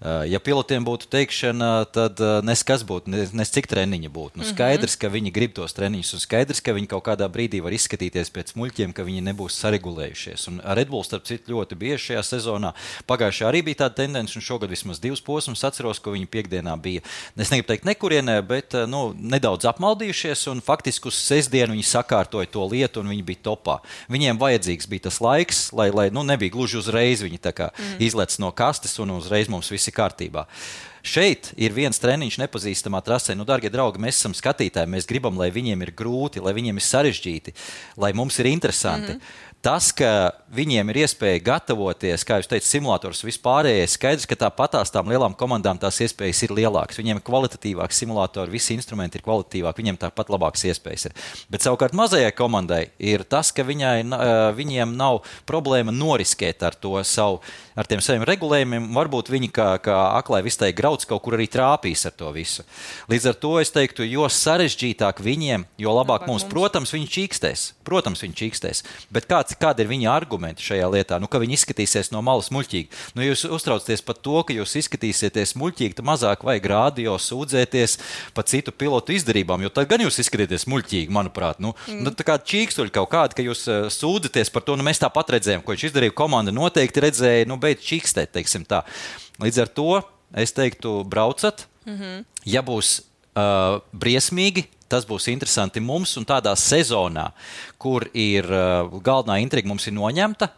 S3: Ja pilotiem būtu teikšana, tad nes kas būtu, nes, nes cik treniņi būtu. Nu, skaidrs, ka viņi grib tos treniņus, un skaidrs, ka viņi kaut kādā brīdī var izskatīties pēc muļķiem, ka viņi nebūs saregulējušies. Un Red Bull, starp citu, ļoti bieži šajā sezonā. Pagājušajā arī bija tāda tendence, un šogad vismaz divus posmus atceros, ko viņi piekdienā bija. Es negribu teikt nekurienē, bet nu, nedaudz apmaldījušies, un faktiski uz sestdienu viņi sakārtoja to lietu, un viņi bija topā. Viņiem vajadzīgs bija tas laiks, lai, lai nu, nebija gluži uzreiz viņi tā kā mm. izlec no kastes, un uzreiz mums visi kārtībā. Šeit ir viens treniņš nepazīstamā trasē. Nu, dārgie draugi, mēs esam skatītāji, mēs gribam, lai viņiem ir grūti, lai viņiem ir sarežģīti, lai mums ir interesanti. Mm-hmm. Tas, ka viņiem ir iespēja gatavoties, kā jūs teicat, simulators vispārējais, skaidrs, ka tāpatās tām lielām komandām tās iespējas ir lielākas. Viņiem ir kvalitatīvāks simulatori, visi instrumenti ir kvalitatīvāki, viņiem tāpat labākas iespējas ir. Bet savukārt mazajai komandai ir tas, ka viņai, viņiem nav problēma noriskēt ar to savu, ar tiem saviem regulējumiem. Varbūt viņi kā, kā aklai vistai graudīgi brauc, kaut kur arī trāpīs ar to visu. Līdz ar to es teiktu, jo sarežģītāk viņiem, jo labāk, labāk mums. mums. Protams, viņi čīkstēs. Protams, viņi čīkstēs. Bet kāds, kādi ir viņa argumenti šajā lietā? Nu, ka viņi izskatīsies no malas muļķīgi. Nu, jūs uztraucaties par to, ka jūs izskatīsieties muļķīgi, tad mazāk vajag rādio sūdzēties par citu pilotu izdarībām, jo tad gan jūs izskatīties muļķīgi, manuprāt. Nu, mm. nu, tā kā čīkstuļi kaut kādi, ka jūs uh, sūdzaties par to, nu mēs tāpat redzējām, ko viņš izdarīja, komanda noteikti redzēja, nu beidz čīkstēt, teiksim tā. Līdz ar to es teiktu, braucat, mm-hmm. ja būs uh, briesmīgi, tas būs interesanti mums un tādā sezonā, kur ir uh, galvenā intriga mums ir noņemta,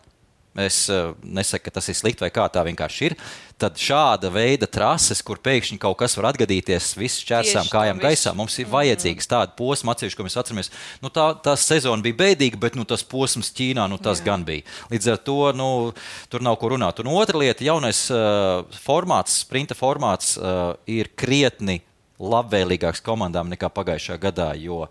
S3: es uh, nesaku, ka tas ir slikti vai kā tā vienkārši ir, tad šāda veida trases, kur pēkšņi kaut kas var atgadīties, viss šķērsām kājām gaisā, mums ir vajadzīgs tāda posma atsevišķi, ko mēs atceramies. Nu, tā, tā sezona bija bēdīga, bet nu, tas posms Ķīnā, nu, tas Jā. gan bija. Līdz ar to nu, tur nav ko runāt. Un otra lieta, jaunais uh, formāts, sprinta formāts uh, ir krietni labvēlīgāks komandām nekā pagājušā gadā, jo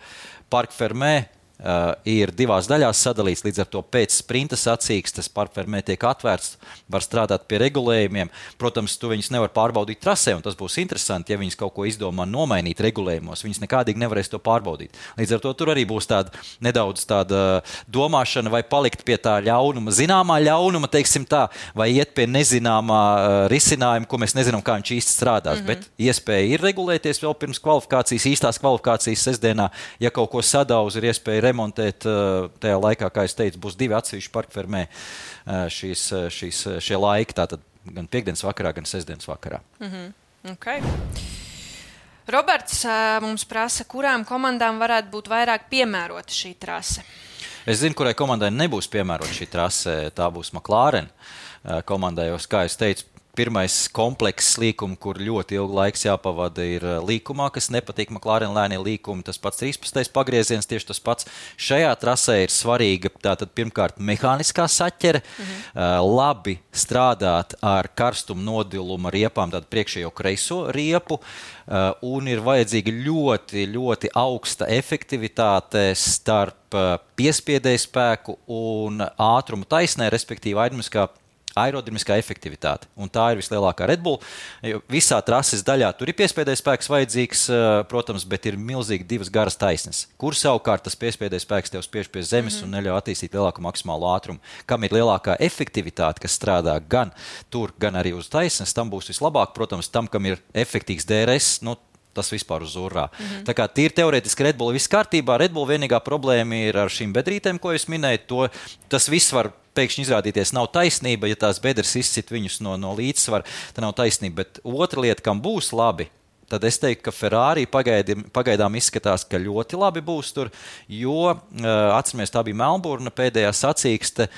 S3: Parc Fermé Uh, ir divās daļās sadalīts, līdz ar to pēc sprinta sacīkstes Parc Fermé tiek atvērts, var strādāt pie regulējumiem. Protams, tu viņus nevar pārbaudīt trasē, un tas būs interesanti, ja viņas kaut ko izdomā nomainīt regulējumos. Viņas nekādīgi nevarēs to pārbaudīt. Līdz ar to tur arī būs tāda nedaudz tāda domāšana, vai palikt pie tā ļaunuma, zināmā ļaunuma, teiksim tā, vai iet pie nezināmā uh, risinājuma, ko mēs nezinām, kā viņš īsti strādās. Mm-hmm. Bet iespēja ir regulēties vēl pirms kvalifikācijas, īstās kvalifikācijas sestdienā, ja kaut ko sadauz, ir iespēja remontēt tajā laikā, kā es teicu, būs divi atsevišķi Parc Fermé šīs, šīs, šie laiki, tātad gan piekdienas vakarā, gan sestdienas vakarā.
S2: Mm-hmm. Okay. Roberts mums prasa, kurām komandām varētu būt vairāk piemērota šī trase?
S3: Es zinu, kurai komandai nebūs piemērota šī trase, tā būs McLaren komandai, jo, kā es teicu, pirmais komplekss līkuma, kur ļoti ilgu laiks jāpavada, ir līkumā, kas nepatīk McLaren lēnie līkumi. Tas pats trīspadsmitais pagrieziens, tieši tas pats. Šajā trasē ir svarīga tātad pirmkārt mehāniskā saķere, mhm. uh, labi strādāt ar karstumu nodiluma riepām, tātad priekšējo kreiso riepu, uh, un ir vajadzīga ļoti, ļoti augsta efektivitāte starp uh, piespiedēju spēku un ātrumu taisnē, respektīvi aerodinamiskā aerodinamiskā efektivitāte. Un tā ir vislielākā Red Bull. Visā trases daļā tur ir piespiedējs spēks vajadzīgs, protams, bet ir milzīgi divas garas taisnes, kur savukārt tas piespiedējs spēks tev spiež pie zemes mm-hmm. un neļauj attīstīt lielāku maksimālo ātrumu. Kam ir lielākā efektivitāte, kas strādā gan tur, gan arī uz taisnes, tam būs vislabāk. Protams, tam, kam ir efektīgs D R S, nu, tas vispār uz urā. Mm-hmm. Tā kā tīri teorētiski Red Bull viss kārtībā. Red Bull vienīgā problēma ir ar šīm bedrītēm, ko es minēju. To, tas viss var pēkšņi izrādīties nav taisnība, ja tās bedres izcit viņus no, no līdzsvara, tad nav taisnība. Bet otra lieta, kam būs labi, tad es teiktu, ka Ferrari pagaidām, pagaidām izskatās, ka ļoti labi būs tur, jo, atceramies, tā bija Melburna pēdējā sacīkste,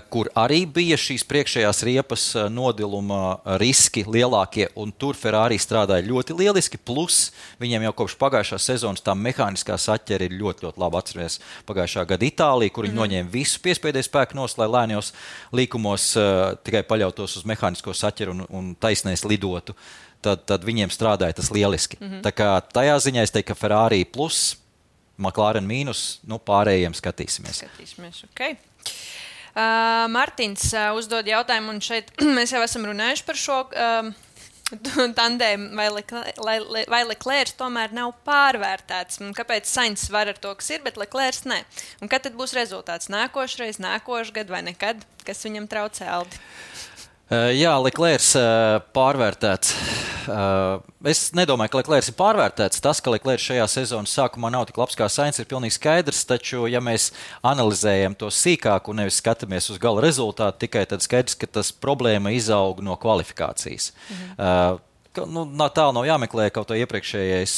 S3: kur arī bija šīs priekšējās riepas nodiluma riski lielākie, un tur Ferrari strādāja ļoti lieliski, plus viņiem jau kopš pagājušās sezonas tā mehāniskā saķere ir ļoti, ļoti labi. Atceries pagājušā gada Itālija, kur viņi mm-hmm. noņēma visu piespiedēju spēku nos, lai lēnijos līkumos uh, tikai paļautos uz mehānisko saķeru un, un taisnēs lidotu. Tad, tad viņiem strādāja tas lieliski. Mm-hmm. Tā kā tajā ziņā es teiktu, ka Ferrari plus, McLaren mīnus, nu pārējiem skatīsimies.
S2: Skatīsimies, ok. Uh, Martins uh, uzdod jautājumu, un šeit mēs jau esam runājuši par šo uh, tandēmu, vai, Le, vai Leclerc tomēr nav pārvērtēts. Un kāpēc Sainz var ar to, kas ir, bet Leclerc ne? Un kad tad būs rezultāts? Nākošreiz, nākošgad vai nekad? Kas viņam traucē, Aldi?
S3: Uh, jā, Leclerc uh, pārvērtēts. Uh, es nedomāju, ka Leclerc ir pārvērtēts. Tas, ka Leclerc šajā sezonas sākumā nav tik labs kā Sainz, ir pilnīgi skaidrs, taču, ja mēs analizējam to sīkāk un nevis skatāmies uz gala rezultātu, tikai tad skaidrs, ka tas problēma izaug no kvalifikācijas. Mhm. Uh, Nu, tālu nav jāmeklē kaut kā iepriekšējais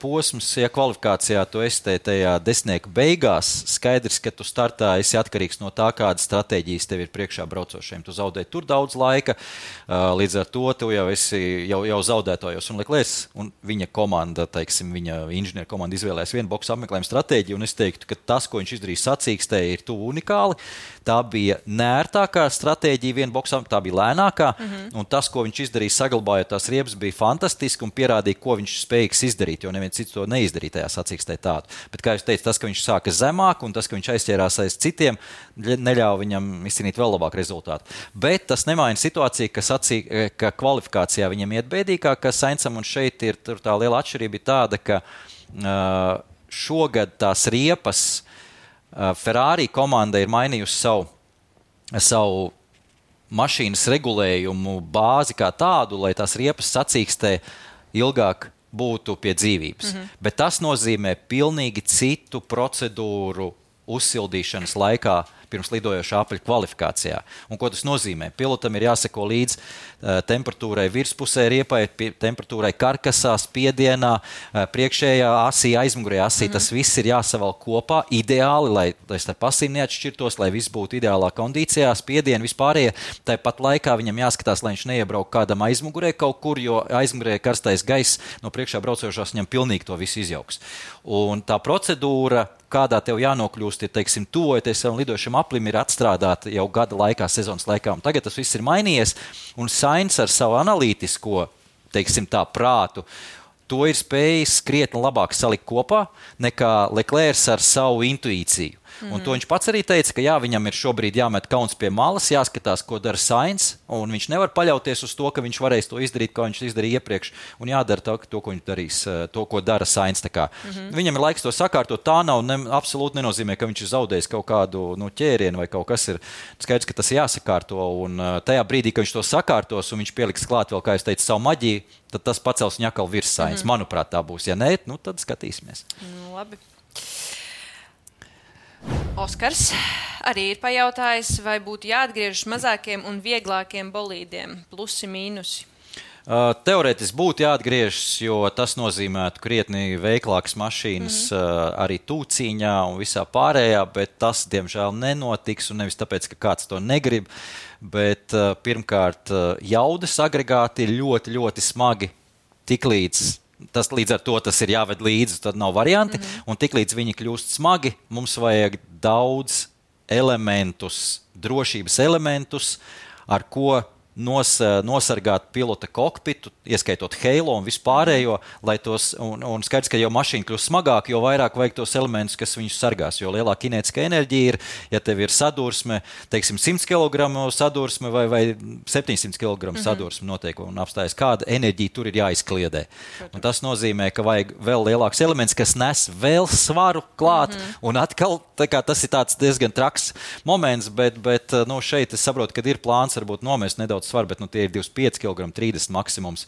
S3: posms. Ja kvalifikācijā tu esi tajā desmitnieka beigās, skaidrs, ka tu startā esi atkarīgs no tā, kādas stratēģijas tev ir priekšā braucošiem. Tu zaudē tur daudz laika, līdz ar to tu jau esi jau, jau zaudētājos. Un Leclerc un viņa komanda, teiksim, viņa inženieru komanda izvēlēs vienu boksu apmeklējumu stratēģiju, un es teiktu, ka tas, ko viņš izdarīja sacīkstē, ir tuvu unikāli. Tā bija nērtākā stratēģija vienu boksām, tā bija lēnākā, mm-hmm. un tas, ko viņš izdarīja saglabājot tās riepas bija fantastiski un pierādīja, ko viņš spējīgs izdarīt, jo neviens cits to neizdarīja tajā sacīkstē tādu. Bet, kā jūs teicu, tas, ka viņš sāka zemāk un tas, ka viņš aizķērās aiz citiem, neļauj viņam izcīnīt vēl labāku rezultātu. Bet tas nemaina situāciju, ka, sacī, ka kvalifikācijā viņam iet bēdīgāk, ka Sainsam un šeit ir tā liela atšķirība ir tāda, ka uh, šogad tās riepas uh, Ferrari komanda ir mainījusi savu, savu mašīnas regulējumu bāzi kā tādu, lai tās riepas sacīkstē ilgāk būtu pie dzīvības. Mm-hmm. Bet tas nozīmē pilnīgi citu procedūru uzsildīšanas laikā pirms lidojošā apaļa kvalifikācijā. Un ko tas nozīmē? Pilotam ir jāseko līdz uh, temperatūrai virspusē riepai, temperatūrai karkasā, spiedienā, uh, priekšējā asī, aizmugurējā asī. Mm-hmm. Tas viss ir jāsavalk kopā ideāli, lai, lai starp asīm neatšķirtos, lai viss būtu ideālā kondīcijā, spiedieni vispārējie. Tāpat laikā viņam jāskatās, lai viņš neiebrauk kādam aizmugurē kaut kur, jo aizmugurē karstais gaiss no priekšā braucošās viņam pilnīgi to visu izjauks. Un tā procedūra, kādā tev jānokļūst, ir, teiksim, tuvojoties savam lidošam aplim, ir atstrādāta jau gada laikā, sezonas laikā. Un tagad tas viss ir mainījies, un Sainz ar savu analītisko, teiksim tā, prātu, to ir spējis krietni labāk salikt kopā nekā Leclerc ar savu intuīciju. Mm-hmm. Un to viņš pats arī teica, ka jā, viņam ir šobrīd jāmet kauns pie malas, jāskatās, ko dara Sainz, un viņš nevar paļauties uz to, ka viņš varēs to izdarīt, kā viņš izdarīja iepriekš, un jādara to, to ko viņš darīs, to, ko dara Sainz. Mm-hmm. Viņam ir laiks to sakārtot, tā nav ne, absolūti nenozīmē, ka viņš ir zaudējis kaut kādu nu, ķērienu vai kaut kas ir. Skaidrs, ka tas ir jāsakārto, un tajā brīdī, kad viņš to sakārtos, un viņš pieliks klāt vēl, kā es teicu, savu maģiju, tad tas pacels viņu atkal virs Sainz. Mm-hmm. Manuprāt, tā būs. Ja nē, nu, tad skatīsimies.
S2: Nu, labi. Oskars arī ir pajautājis, vai būtu jāatgriežas mazākiem un vieglākiem bolīdiem, plusi, mīnusi.
S3: Uh, teorētiski būtu jāatgriežas, jo tas nozīmētu krietni veiklākas mašīnas mm-hmm. uh, arī tūcīņā un visā pārējā, bet tas, diemžēl, nenotiks, un nevis tāpēc, ka kāds to negrib, bet uh, pirmkārt uh, jaudas agregāti ir ļoti, ļoti smagi tiklīdz. Tas līdz ar to tas ir jāved līdzi, tad nav varianti. Mm-hmm. Un tiklīdz viņi kļūst smagi, mums vajag daudz elementus, drošības elementus, ar ko nos, nosargāt pilota kokpitu, ieskaitot Halo un vispārējo, lai tos, un, un skaidrs, ka jau mašīna kļūst smagāk, jo vairāk vajag tos elementus, kas viņus sargās, jo lielāka kinētiskā enerģija ir, ja tev ir sadursme, teiksim, simts kilogramu sadursme vai, vai septiņsimt kilogramu mm-hmm. sadursme notiek un apstājas, kāda enerģija tur ir jāizkliedē. Un tas nozīmē, ka vajag vēl lielāks elements, kas nes vēl svaru klāt, mm-hmm. un atkal, tā kā tas ir tāds diezgan traks moments, bet, bet nu, šeit es saprotu, ka ir plāns varbūt nomest nedaudz svaru, bet nu, tie ir divdesmit pieci kilogrami, trīsdesmit maksimums,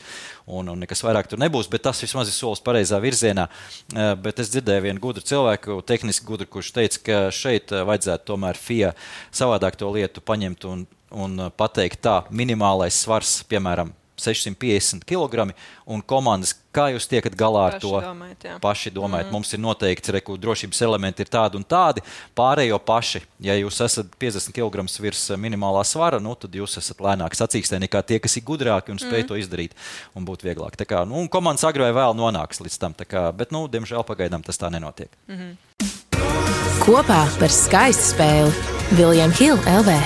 S3: un, un nekas vairāk tur nebūs, bet tas vismaz ir solis pareizā virzienā. Bet es dzirdēju vienu gudru cilvēku, tehniski gudru, kurš teica, ka šeit vajadzētu tomēr F I A savādāk to lietu paņemt un, un pateikt tā, minimālais svars, piemēram, sešsimt piecdesmit kilogrami, un komandas, kā jūs tiekat galā ar
S2: paši
S3: to?
S2: Domājat, jā.
S3: Paši domājat,
S2: mm.
S3: mums ir noteikti, reku, drošības elementi ir tādi un tādi, pārējo paši. Ja jūs esat piecdesmit kilogramus virs minimālā svara, nu, tad jūs esat lēnāk sacīkstē nekā tie, kas ir gudrāki un spēj mm. to izdarīt un būt vieglāk. Tā kā, nu, un komandas agri vai vēl nonāks līdz tam, tā kā, bet, nu, diemžēl pagaidām tas tā nenotiek.
S2: Mm-hmm.
S6: Kopā par skaistu spēli William Hill L V.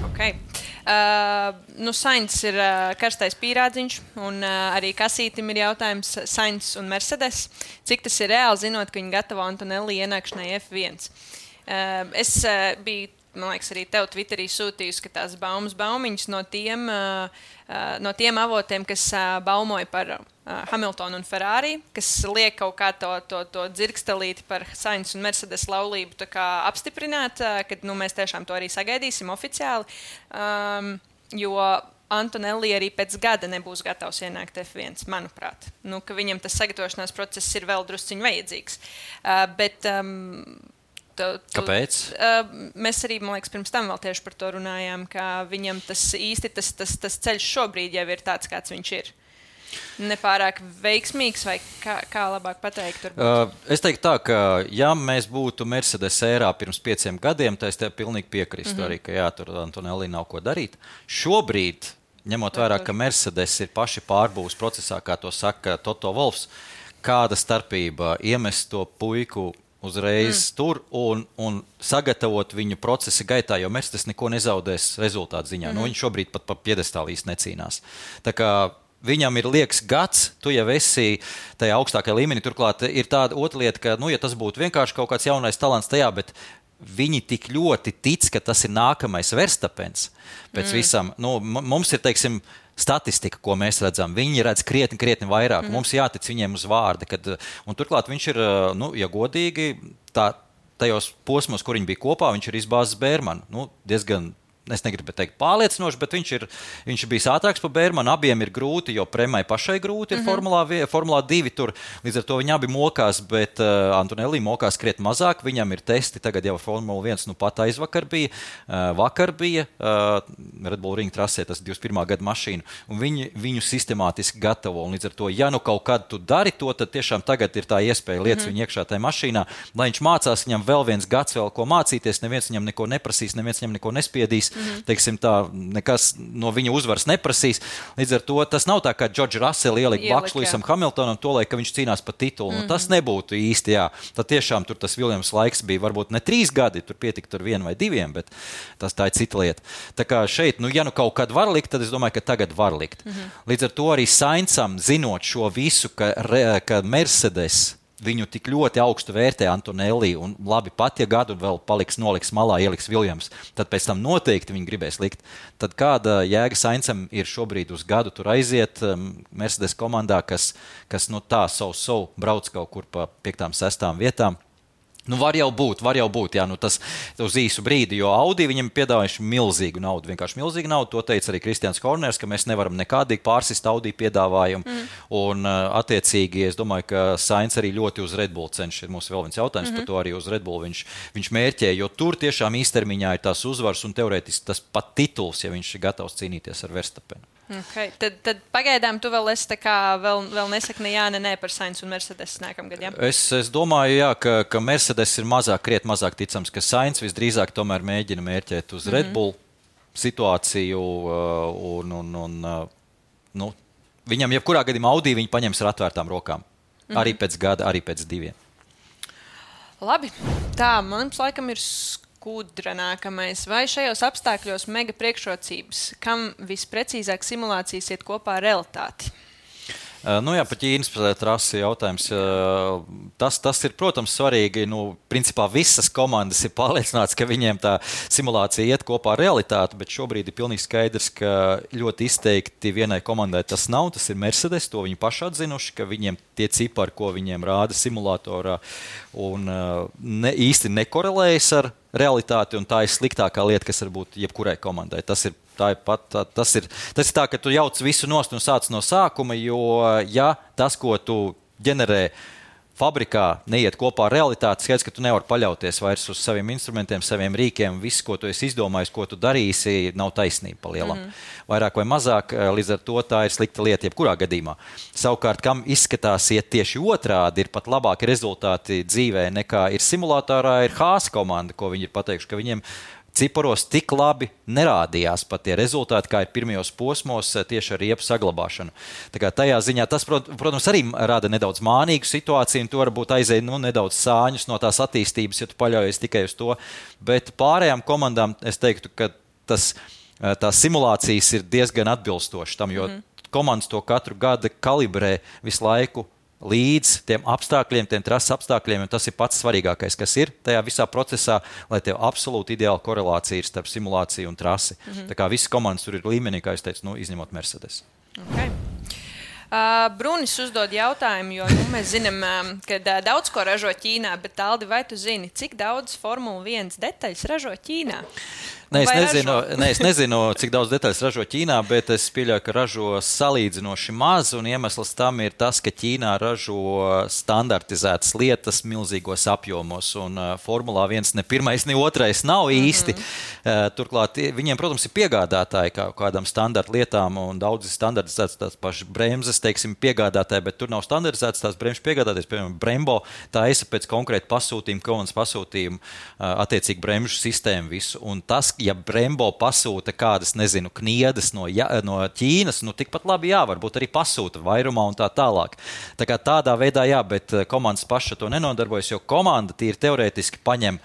S2: Okay. Uh, nu, Sainz ir uh, karstais pīrādziņš, un uh, arī Kasītim ir jautājums Sainz un Mercedes. Cik tas ir reāli, zinot, ka viņi gatavo Antonelli ienākšanai F viens? Uh, es uh, biju, man liekas, arī tev Twitterī sūtījusi, ka tās baumas baumiņas no tiem, uh, uh, no tiem avotiem, kas uh, baumoja par uh, Hamiltonu un Ferrari, kas liek kaut kā to, to, to dzirkstelīti par Sainz un Mercedes laulību tā kā apstiprināt, uh, kad nu, mēs tiešām to arī sagaidīsim oficiāli, um, jo Antonelli arī pēc gada nebūs gatavs ienākt F viens, manuprāt. Nu, ka viņam tas sagatavošanās process ir vēl drusciņ vajadzīgs. Uh, bet... Um, Tu, tu,
S3: Kāpēc?
S2: Uh, mēs arī, man liekas, pirms tam vēl tieši par to runājām, ka viņam tas īsti tas, tas, tas ceļš šobrīd jau ir tāds, kāds viņš ir. Nepārāk veiksmīgs, vai kā, kā labāk pateikt?
S3: Uh, es teiktu tā, ka ja mēs būtu Mercedes ērā pirms pieciem gadiem, tad es tev pilnīgi piekristu mm-hmm. arī, ka jā, tur Antonelli nav ko darīt. Šobrīd, ņemot vērā, ka Mercedes ir paši pārbūves procesā, kā to saka Toto Wolffs, kāda starpība iemest to puiku uzreiz mm. tur un, un sagatavot viņu procesa gaitā, jo Mercedes neko nezaudēs rezultātu ziņā. Mm. Nu, viņš šobrīd pat pa piedestālu īsti necīnās. Tā kā viņam ir liekas gads, tu jau esi tajā augstākajā līmenī. Turklāt ir tāda otra lieta, ka, nu, ja tas būtu vienkārši kaut kāds jaunais talants tajā, bet viņi tik ļoti tic, ka tas ir nākamais Verstapens pēc mm. visam. Nu, mums ir, teiksim, statistika, ko mēs redzam. Viņi redz krietni, krietni vairāk. Mm. Mums jātic viņiem uz vārda. Kad, un turklāt viņš ir, nu, ja godīgi, tā, tajos posmos, kur viņi bija kopā, viņš ir izbāzis Bērmanu. Nu, diezgan es negribu teikt pārliecinoši, bet viņš ir, viņš ir bijis ātrāks par Bērmanu. Abiem ir grūti, jo Premai pašai grūti ir mm-hmm. formulā, formulā divi tur. Līdz ar to viņi abi mokās, bet uh, Antonelli mokās krietni mazāk. Viņam ir testi tagad jau Formula viens, nu pat aizvakar bija. Uh, vakar bija uh, Red Bull Ring trasē, tas divdesmit pirmā gada mašīna. Un viņi viņu sistemātiski gatavo. Un līdz ar to, ja nu kaut kad tu dari to, tad tiešām tagad ir tā iespēja lietas mm-hmm. viņu iekšā tajā mašīnā. Lai viņš mācās, viņam vēl viens gads vēl ko mācīties, neviens viņam neko neprasīs, neviens viņam neko nespiedīs. Mm-hmm. Teiksim tā, nekas no viņa uzvaras neprasīs. Līdz ar to tas nav tā, kā Džordžs Rasels ielika blakus Lewisam Hamiltonam to, lai, ka viņš cīnās par titulu. Mm-hmm. Nu, tas nebūtu īsti, jā. Tad tiešām tur tas Viljams laiks bija varbūt ne trīs gadi, tur pietika tur vienu vai diviem, bet tas tā ir cita lieta. Tā kā šeit, nu, ja nu kaut kad var likt, tad es domāju, ka tagad var likt. Mm-hmm. Līdz ar to arī Saincam, zinot šo visu, ka, ka Mercedes viņu tik ļoti augstu vērtē Antonelli un labi pat, ja gadu vēl paliks, noliks malā, ieliks Viljams, tad pēc tam noteikti viņi gribēs likt. Tad kāda jēga Saincam ir šobrīd uz gadu tur aiziet um, Mercedes komandā, kas, kas no tā savu savu brauc kaut kur pa piektām, sestām vietām. Nu, var jau būt, var jau būt, jā, nu tas uz īsu brīdi, jo Audi viņam piedāvājuši milzīgu naudu, vienkārši milzīgu naudu, to teica arī Kristians Horners, ka mēs nevaram nekādīgi pārsist Audi piedāvājumu, mm. un attiecīgi, es domāju, ka Sainz arī ļoti uz Red Bull cenšas, ir mums vēl viens jautājums mm-hmm. par to arī uz Red Bull viņš, viņš mērķē, jo tur tiešām īstermiņā ir tās uzvaras un teorētiski tas pat tituls, ja viņš ir gatavs cīnīties ar Verstapenu.
S2: Okay. Tad, tad pagaidām tu vēl esi tā kā vēl, vēl nesaki ne jā, ne nē par Sainz un Mercedes nākamgad, jā?
S3: Es, es domāju, jā, ka, ka Mercedes ir mazāk, kriet mazāk ticams, ka Sainz visdrīzāk tomēr mēģina mērķēt uz mm-hmm. Red Bull situāciju un, un, un nu, viņam jebkurā gadījumā Audi viņi paņems ar atvērtām rokām. Mm-hmm. Arī pēc gada, arī pēc diviem.
S2: Labi, tā, mums laikam ir Kudra nākamais. Vai šajos apstākļos mega priekšrocības, kam visprecīzāk simulācijas iet kopā ar realitāti?
S3: Nu jā, pa Ķīnas trasi jautājums. Tas, tas ir, protams, svarīgi. Nu, principā visas komandas ir pārliecināts, ka viņiem tā simulācija iet kopā ar realitāti, bet šobrīd ir pilnīgi skaidrs, ka ļoti izteikti vienai komandai tas nav. Tas ir Mercedes, to viņi paši atzinuši, ka viņiem tie cipari, ko viņiem rāda simulatorā, un ne, īsti nekorelējas ar realitāti, un tā ir sliktākā lieta, kas var būt jebkurai komandai. Tas ir Tā ir pat, tā, tas, ir, tas ir tā, ka tu jauc visu nost un sāc no sākuma, jo ja tas, ko tu ģenerē fabrikā, neiet kopā ar realitāti, skaidrs, ka tu nevari paļauties vairs uz saviem instrumentiem, saviem rīkiem, viss, ko tu esi izdomājis, ko tu darīsi, nav taisnība pa lielam. Mm-hmm. Vairāk vai mazāk, līdz ar to tā ir slikta lieta jebkurā gadījumā. Savukārt, kam izskatās iet tieši otrādi, ir pat labāki rezultāti dzīvē nekā ir simulatorā, ir Haas komanda, ko viņi ir pateikuši, ka viņiem ciparos tik labi nerādījās pat tie rezultāti, kā ir pirmajos posmos tieši ar riepu saglabāšanu. Tā kā tajā ziņā tas, protams, arī rada nedaudz mānīgu situāciju, un tu varbūt aizēji nu, nedaudz sāņus no tās attīstības, ja tu paļaujies tikai uz to. Bet pārējām komandām es teiktu, ka tas, tās simulācijas ir diezgan atbilstošas tam, jo mm. komandas to katru gadu kalibrē visu laiku līdz tiem apstākļiem, tiem trases apstākļiem, un tas ir pats svarīgākais, kas ir tajā visā procesā, lai tev absolūti ideāla korelācija ir starp simulāciju un trasi. Mm-hmm. Tā kā visas komandas tur ir līmenī, kā es teicu, nu, izņemot Mercedes.
S2: Okay. Uh, Brunis uzdod jautājumu, jo nu, mēs zinām, um, ka uh, daudz ko ražo Ķīnā, bet Aldi, vai tu zini, cik daudz Formula viens detaļas ražo Ķīnā?
S3: Nē, es nezinu, nē, es nezinu, cik daudz detaļas ražo Ķīnā, bet es pieļauju, ka ražo salīdzinoši maz, un iemesls tam ir tas, ka Ķīnā ražo standartizētas lietas milzīgos apjomos, un uh, Formulā viens ne pirmais, ne otrais nav īsti. Mm-hmm. Uh, turklāt viņiem, protams, ir piegādātāji kā kādām standarta lietām, un daudz ir standartizētas tās pašas bremzes, teiksim, piegādātāji, bet tur nav standartizētas tās bremžu piegādātājs, piemēram, Brembo, tā esa pēc konkrēta pasūtījuma, komandas pasūtījuma, uh, attiecīgi bremžu sistēmu visu, un tas, ja Brembo pasūta kādas, nezinu, kniedas no, ja, no Ķīnas, nu tikpat labi jā, varbūt arī pasūta vairumā un tā tālāk. Tā kā tādā veidā jā, bet komandas paša to nenodarbojas, jo komanda tīri teorētiski paņem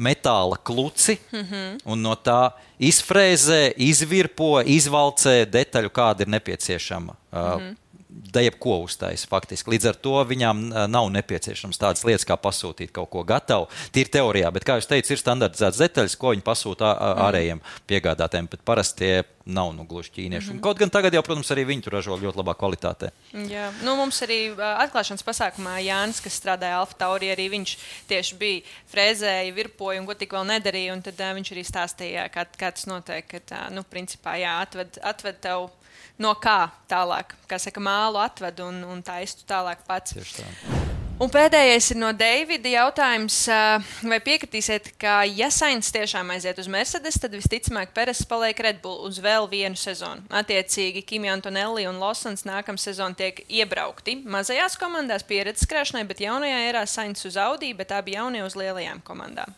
S3: metāla kluci mm-hmm. un no tā izfrēzē, izvirpo, izvalcē detaļu, kāda ir nepieciešama. Mm-hmm. Da jebko uztais faktiski. Līdz ar to viņām nav nepieciešams tādas lietas, kā pasūtīt kaut ko gatavu. Tīri teorijā, bet, kā jūs teicu, ir standartizētas detaļas, ko viņi pasūta ārējiem piegādātēm, bet parasti tie nav nu gluži ķīnieši. Mm-hmm. Kaut gan tagad jau, protams, arī viņi tur ražo ļoti labā kvalitātē.
S2: Jā, nu mums arī atklāšanas pasākumā Jānis, kas strādāja Alfa Tauri, arī viņš tieši bija frēzēja, virpoja un ko tik vēl nedarīja, un tad uh, viņš arī stāstīja, kā, kā tas notiek, ka, uh, nu, principā, jā, atved, atved tev no kā tālāk, kā saka, mālu atved un, un taistu tālāk pats.
S3: Tieši tā.
S2: Un pēdējais ir no Deivida jautājums, vai piekritīsiet, ka ja Sainz tiešām aiziet uz Mercedes, tad visticamāk Peres paliek Red Bull uz vēl vienu sezonu. Attiecīgi Kimi Antonelli un Lawsons nākamā sezona tiek iebraukti mazajās komandās pieredzes krāšanai, bet jaunajā erā Sainz uz Audi, bet abi jaunie uz lielajām komandām.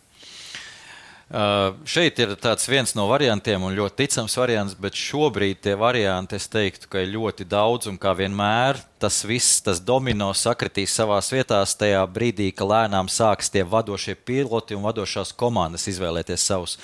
S3: Uh, šeit ir tāds viens no variantiem un ļoti ticams variants, bet šobrīd tie varianti, es teiktu, ka ir ļoti daudz un kā vienmēr tas viss, tas domino sakritīs savās vietās tajā brīdī, ka lēnām sāks tie vadošie piloti un vadošās komandas izvēlēties savus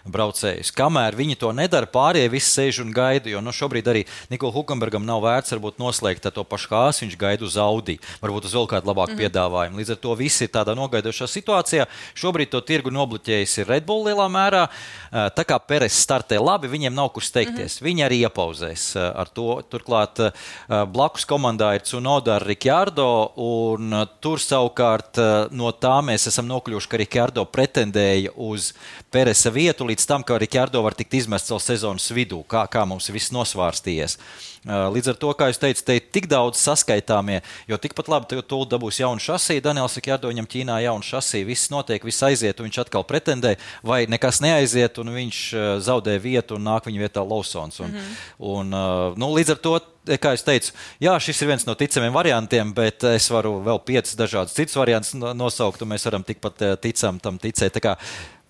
S3: braucējus. Kamēr viņi to nedara, pārējie visi sēž un gaida, jo nu, šobrīd arī Nikola Hulkenbergam nav vērts varbūt noslēgt to pašu Hāsu, viņš gaida uz Audi, varbūt uz vēl kādu labāku mm-hmm. piedāvājumu. Līdz ar to visi ir tādā nogaidošā situācijā. Šobrīd to tirgu nobloķējis ir Red Bull lielā mērā. Tā kā Peres startē labi, viņiem nav kur steigties. Mm-hmm. Viņi arī iepauzēs ar to. Turklāt blakus komandā ir Tsunoda ar Ricciardo, un tur savukārt no tā mēs esam nokļuvuši, ka Ricciardo pretendēja uz Peresa vietu līdz tam, ka Ricciardo var tikt izmests vēl sezonas vidū, kā, kā mums viss nosvārstījies. Līdz ar to, kā jūs teicat, te ir tik daudz saskaitāmie, jo tikpat labi tūlīt dabūs jaunu šasī, Daniels Ricciardo viņam Ķīnā jaunu šasī, viss notiek, viss aiziet, un viņš atkal pretendē, vai nekas neaiziet, un viņš zaudē vietu, un nāk viņa vietā Lawsons. Un, mm-hmm. un, nu, līdz ar to, kā es teicu, jā, šis ir viens no ticamiem variantiem, bet es varu vēl piecas dažādas citas variantus nosaukt, un mēs varam tikpat ticam tam ticēt. Tā kā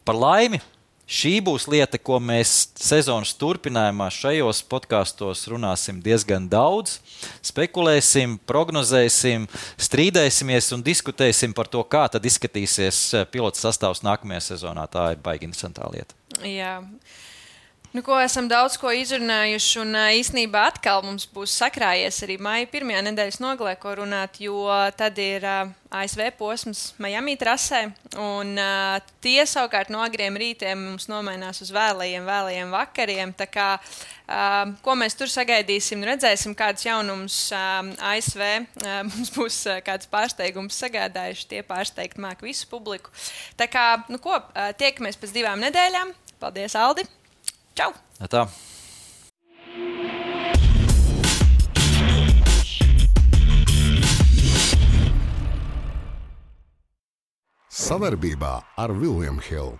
S3: par laimi, šī būs lieta, ko mēs sezonas turpinājumā šajos podkastos runāsim diezgan daudz, spekulēsim, prognozēsim, strīdēsimies un diskutēsim par to, kā tad izskatīsies pilotu sastāvs nākamajā sezonā. Tā ir baigi interesantā lieta.
S2: Jā. Nu, ko esam daudz ko izrunājuši, un īstenībā atkal mums būs sakrājies arī maija pirmajā nedēļas nogalē, ko runāt, jo tad ir uh, A S V posms Miami trasē, un uh, tie savukārt no agriem rītiem mums nomainās uz vēlajiem, vēlajiem vakariem, tā kā, uh, ko mēs tur sagaidīsim, redzēsim kādus jaunumus uh, A S V, uh, mums būs uh, kāds pārsteigums sagādājuši, tie pārsteigt māk visu publiku. Tā kā, nu ko, uh, tiekamies pēc divām nedēļām. Paldies, Aldi! Čau!
S3: Tā.
S1: Savarbībā ar William Hill.